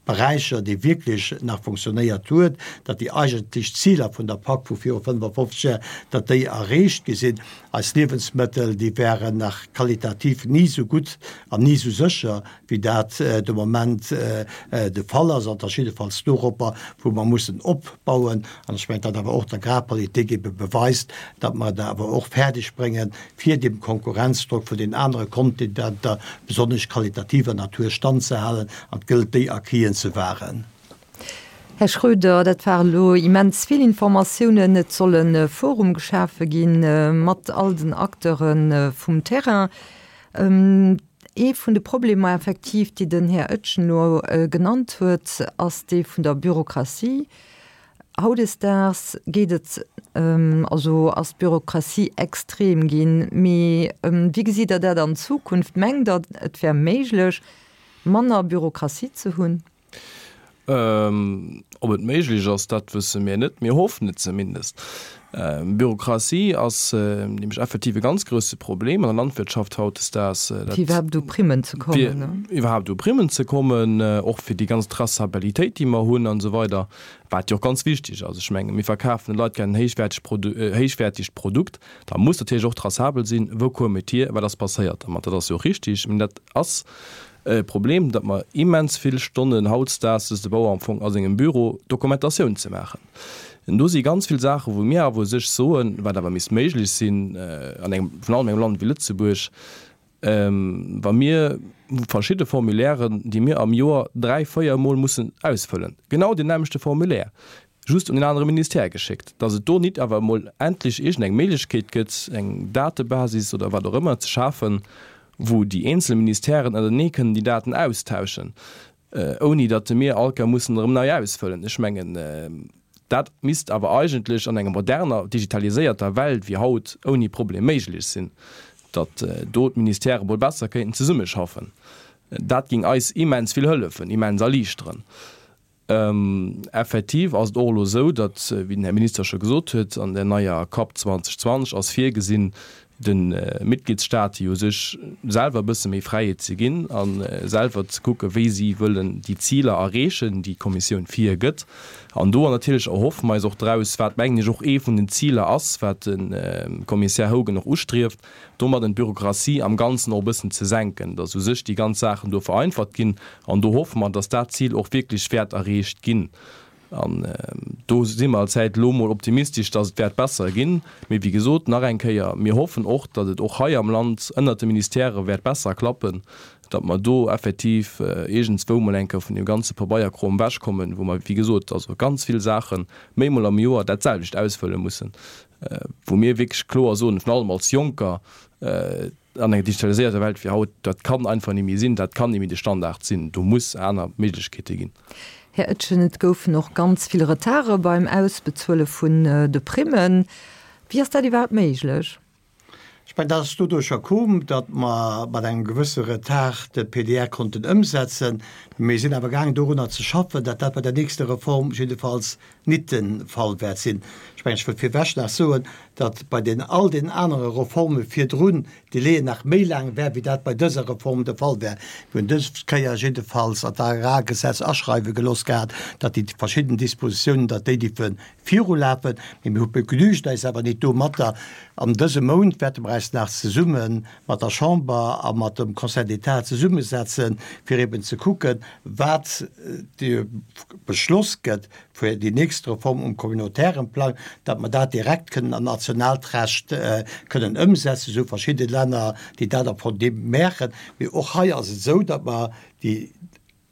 Beräicher, dee wierklech nach funktionéiert huet, datt déi eigentlech Ziler vun der PAK vu viru fënnefafofzeg Jar, datt déi erreecht gi sinn. Eis Liewensmëttel, déi waren nach qualitativ ni esou gutt an ni esou sécher, wéi dat de Moment de Fall ass, an et ass jiddefalls doropper, wou mer mussen opbauen. An ech mengen, datt awer och d'Agrarpolitik ebe beweist, datt mer et awer och fäerdeg bréngen, fir deem Konkurrenzdrock vun den anere Kontinenter, besonnesch qualitativer Natur, standzehalen. An et gëllt, déi Acquisen ze wahren. Här Schroeder, dat waren elo immens vill Informatiounen. Et soll e Forum geschafe gi mat all den Acteure vum Terrain. Ee vun de Problemer effektiv, déi den Här Oetjen elo genannt huet, ass dee vun der Bürokratie. Hautdesdaags geet et, also ass d'Bürokratie extrem ginn. Mee wéi gesitt Der dat an Zukunft? Mengt Der, et wär méiglech, manner Bürokratie ze hunn? Ob et méiglech ass, dat wësse mir net. Mir hoffen et zumindest. Bürokratie ass nämlech effektiv e ganz grousse Problem an der Landwirtschaft hautdesdaags. Fir iwwerhaapt u Primmen ze kommen, ne? Fir iwwerhaapt u Primmen ze kommen, och fir déi ganz Traçabilitéit, déi mer hunn an esou weider, wat jo och ganz wichteg ass. Ech menge mir verkafen de Leit gär en héichwäerteg Produ-, héichwäertegt Produkt, da muss natierlech och traçabel sinn, wou koum et hier, wat ass passéiert dermat. Dat ass jo och richtig. Mä dat ass e Problem, datt mer immens vill Stonnen hautdesdaags, sëtzt de Bauer am Fong a sengem Büro, Dokumentatioun ze maachen. An do si ganz vill Saachen, wou mir awer u sech soen, wat awer misst méiglech sinn an engem, virun allem engem Land wéi Lëtzebuerg, wa mir verschidde Formulairen, déi mir am Joer dräi, véier Mol mussen ausfëllen, genau deen nämmlechte Formulaire, just un en anere Ministère geschéckt, datt et do nit awer emol endlech iergendeng Méiglechkeet gëtt, eng Datebasis oder wat och ëmmer ze schafen, wou déi eenzel Ministèren ënnertenee kënnen déi Daten austauschen, ouni datt mir all Kéier mussen erëm nei ausfëllen. Ech mengen, dat misst awer eigentlech an enger moderner, digitaliséierter Welt wéi haut ouni Problem méiglech sinn, datt do d'Ministèrë mol besser kéinten zesummeschaffen. Dat géing eis immens vill hëllefen, immens erliichteren. Effektiv ass et och elo esou, datt, wéi den Här Minister scho gesot huet, an der neier Kap zweedausendzwanzeg ass virgesinn, de Mitgliedsstaate jo u sech selwer e bësse méi Fräiheet ze ginn a selwer ze kucken, wéi si wëllen déi Ziler erreechen, déi d'Kommissioun virgëtt. An do natierlech erhoffe mer eis och draus, wat mengen ech och ee vun den Ziler ass, wat de Kommissär Hogan och ustrieft, domadden d'Bürokratie am Ganzen och e bëssen ze senken, dass u sech déi ganz Saachen do vereinfacht ginn. An do hoffe mer, dass dat Zil och wierklech wäert erreecht ginn. An do si mer allzäit elo mol optimistesch, dass et wäert besser ginn. Mee wéi gesot, nach eng Kéier, mir hoffen och, datt et och hei am Land ënnert de Ministèrë wäert besser klappen, datt mer do effektiv iergendswou mol eng Kéier vun deem ganze Pabeierkrom ewechkommen, wou mer, wéi gesot, also ganz vill Saache méi mol am Joer dat selwecht ausfëlle mussen, wou mir wierklech kloer soen, virun allem als Jonker, an enger digitaliséierter Welt wéi haut, dat kann einfach ni méi sinn, dat kann ni méi de Standard sinn, do muss aner Méiglechkeete ginn. Här Etgen, et goufen och ganz vill Retarde beim Ausbezuele vun de Primmen. Wéi ass dat iwwerhaapt méiglech? Ech mengen, dat ass doduercher koom, datt mer mat engem gewësse Retard de P D R konnten ëmsetzen. Mir sinn awer gaangen dorunner ze schaffen, datt dat bei der nächster Reform jiddefalls nit de Fall wäert sinn. Ech mengen, ech wëll virwech nach soen, datt bei den all den anere Reforme virdrun d'Délaien nach méi laang wär, wéi dat bei dëser Reform de Fall wär. Mir hunn dës Kéier jiddefalls an d'Agrargesetz aschreiwe gelooss gehat, datt déi verschidden Dispositiounen, datt déi dierfe virulafen. Mee mir begnügen eis awer nit domatter. An dësem Mount wäerte mer eis nach zesumme mat der Chamber a mat dem Conseil d'État zesummesetzen, fir eben ze kucken, wat de Beschloss gëtt fir déi nächst Reform um communautairen Plang, datt mer dat direkt kënnen an nationaalt Recht kënnen ëmsetzen, esou verschidde Länner, déi dat am Fong deem maachen. Mee och hei ass et esou, datt mer déi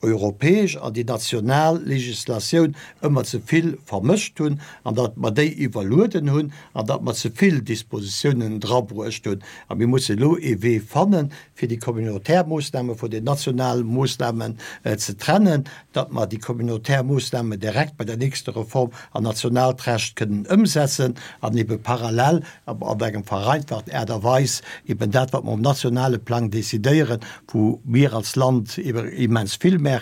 europäesch an déi national Legislatioun ëmmer ze vill vermëscht hunn an datt mer déi iwwerlueden hunn an datt mer ze vill Dispositiounen drabruecht hunn. A mir mussen elo ee Wee fannen, fir déi communautaire Moossname vun den nationale Moossnamen ze trennen, datt mer déi communautaire Moossnamen direkt bei der nächster Reform an nationaalt Recht kënnen ëmsetzen an ebe parallel an engem vereinfachten Aart a Weis eben dat, wat mer um nationale Plang decidéieren, wou mir als Land ebe immens vill maache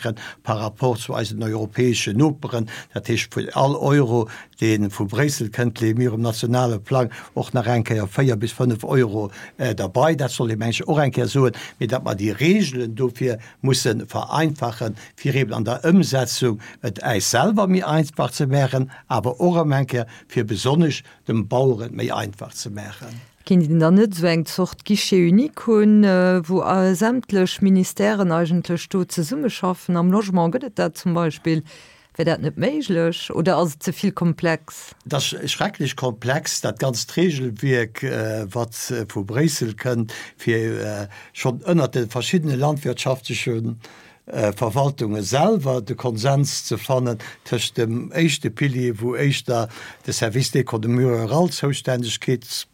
par rapport zu eisen europäeschen Noperen, dat heescht fir all Euro, dee vu Bréissel kënnt, leeë mir um nationale Plang och nach eng Kéier véier bis fënnef Euro derbei. Dat soll ee mengen ech och eng Kéier soen, mee datt mer déi Regelen dofir musse vereinfachen, fir eben an der Ëmsetzung et äis selwer méi einfach ze maachen, awer och erëm eng Kéier fir besonnesch dem Bauer et méi einfach ze maachen. Kéint een dann net esou eng Zort Guichet unique hunn, wou sämtlech Ministèren eigentlech do zesummeschaffen? Am Logement gëtt et dat zum Beispill. Wär dat net méiglech oder ass et ze vill komplex? Et ass schrecklech komplex, dat ganzt Regelwierk, wat vu Bréissel kënnt, fir schonn ënnert de verschiddene landwirtschaftleche Verwaltunge selwer de Konsens ze fannen tëscht dem éischte Pilier, wou éischter de Service d'économie rurale Zoustännegkeets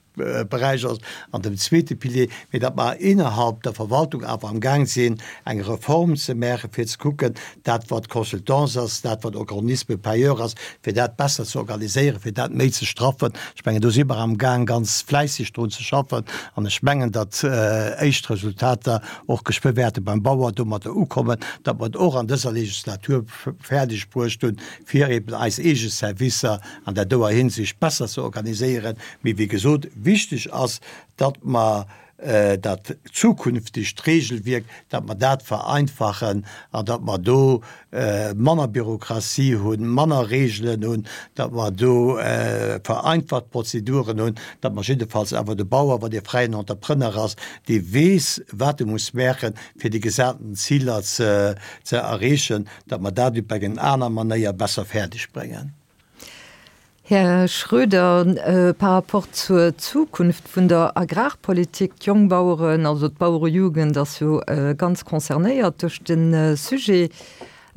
Beräich ass, an dem zweete Pilier, mee datt mer innerhalb der Verwaltung awer am Gaang sinn, eng Reform ze maachen, fir ze kucken, dat wat Consultance ass, dat wat Organisme payeur ass, fir dat besser ze organiséieren, fir dat méi ze straffen. Ech mengen, do si mer am Gaang, ganz fläisseg drun ze schaffen, an ech mengen, datt éischt Resultater och geschwë wäerte beim Bauer domadder ukommen, datt mer et och an dëser Legislatur fäerdeg bruecht hunn, fir eben eis eege Servicer an där doer Hinsicht besser ze organiséieren. Mee wéi gesot, wichteg ass, datt mer dat zukünftegt Regelwierk, datt mer dat vereinfachen an datt mer do manner Bürokratie hunn, manner Regelen hunn, datt mer do vereinfacht Prozeduren hunn, datt mer jiddefalls awer de Bauer, wann dee fräien Entrepreneur ass, dee weess, wat e muss maachen, fir déi gesaten Ziler ze erreechen, datt mer dat op eng aner Manéier besser fäerdeg bréngen. Här Schroeder, par rapport zur Zukunft vun der Agrarpolitik, d'Jongbaueren, also d'Bauerejugend ass jo ganz concernéiert duerch de Sujet.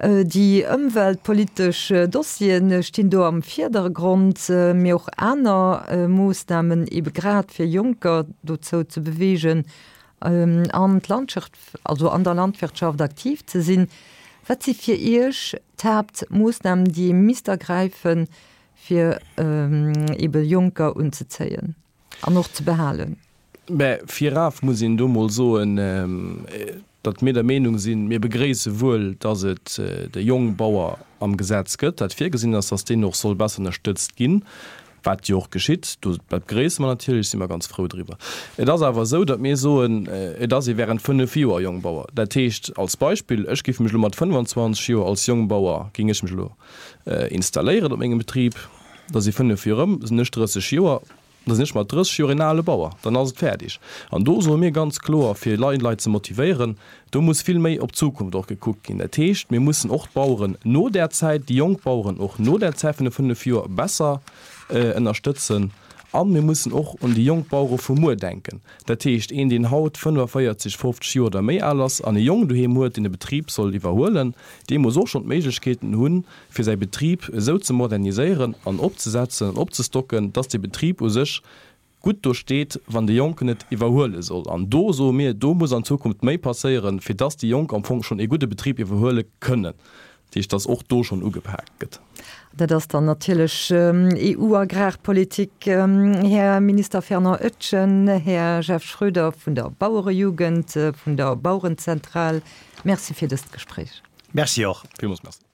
Déi ëmweltpolitesch Dossiere stinn do am Virdergrond, mee och aner Moossnamen, ebe grad fir Jonker dozou ze beweegen, an d'Landschaft, also an der Landwirtschaft aktiv ze sinn. Wat si fir Iech d'Haaptmoossnamen, déi ee misst ergräifen, fir ebe Jonker unzezéien an och ze behalen? Mä viraf muss een do mol soen, datt mir der Meenung sinn, mir begréisse wuel, datt et de Jongbauer am Gesetz gëtt, dat virgesinn ass, datt deen och soll besser ënnerstëtzt ginn, wat jo och geschitt. Do, dat begréisse mer natierlech, si mer ganz frou driwwer. Et ass awer esou, datt mir soen, et ass ee während fënnef Joer Jongbauer. Dat heescht als Beispill, ech géif mech elo mat fënnwanzwanzeg Joer als Jongbauer, géing ech mech elo installéieren op mengem Betrib, da si fënnef Joer ëm, sinn ech drësseg Joer, da sinn ech mat drësseg Joer een ale Bauer, dann ass et fäerdeg. An do soe mir ganz kloer, fir Leit ze motivéieren, do muss vill méi op d'Zukunft och gekuckt ginn. Dat heescht, mir mussen och d'Baueren no där Zäit, déi jonk Baueren och no där Zäit vun de fënnef Joer besser ënnerstëtzen. A mir mussen och un déi jonk Bauere vu muer denken. Dat heescht, een, deen haut fënnefaféierzeg, fofzeg Joer oder méi al ass an e Jong doheem huet, deen de Betrib soll iwwerhuelen, dee muss och schonn d'Méiglechkeeten hunn, fir säi Betrib esou ze moderniséieren an opzesetzen an opzestocken, dass dee Betrib u sech gutt do steet, wann de Jonken et iwwerhuele soll. An do soe mir, do muss an Zukunft méi passéieren, fir dass déi Jonk am Fong schonn ee gudde Betrib iwwerhuele kënnen. Dat heescht, dass och do schonn ugepaakt gëtt. Dat ass dann natierlech EU-Agrarpolitik. Här Minister Fernand Etgen, Här Jeff Schroeder vun der Bauerejugend, vun der Bauerenzentral, Merci fir dëst Gespréich. Merci och. Villmools Merci.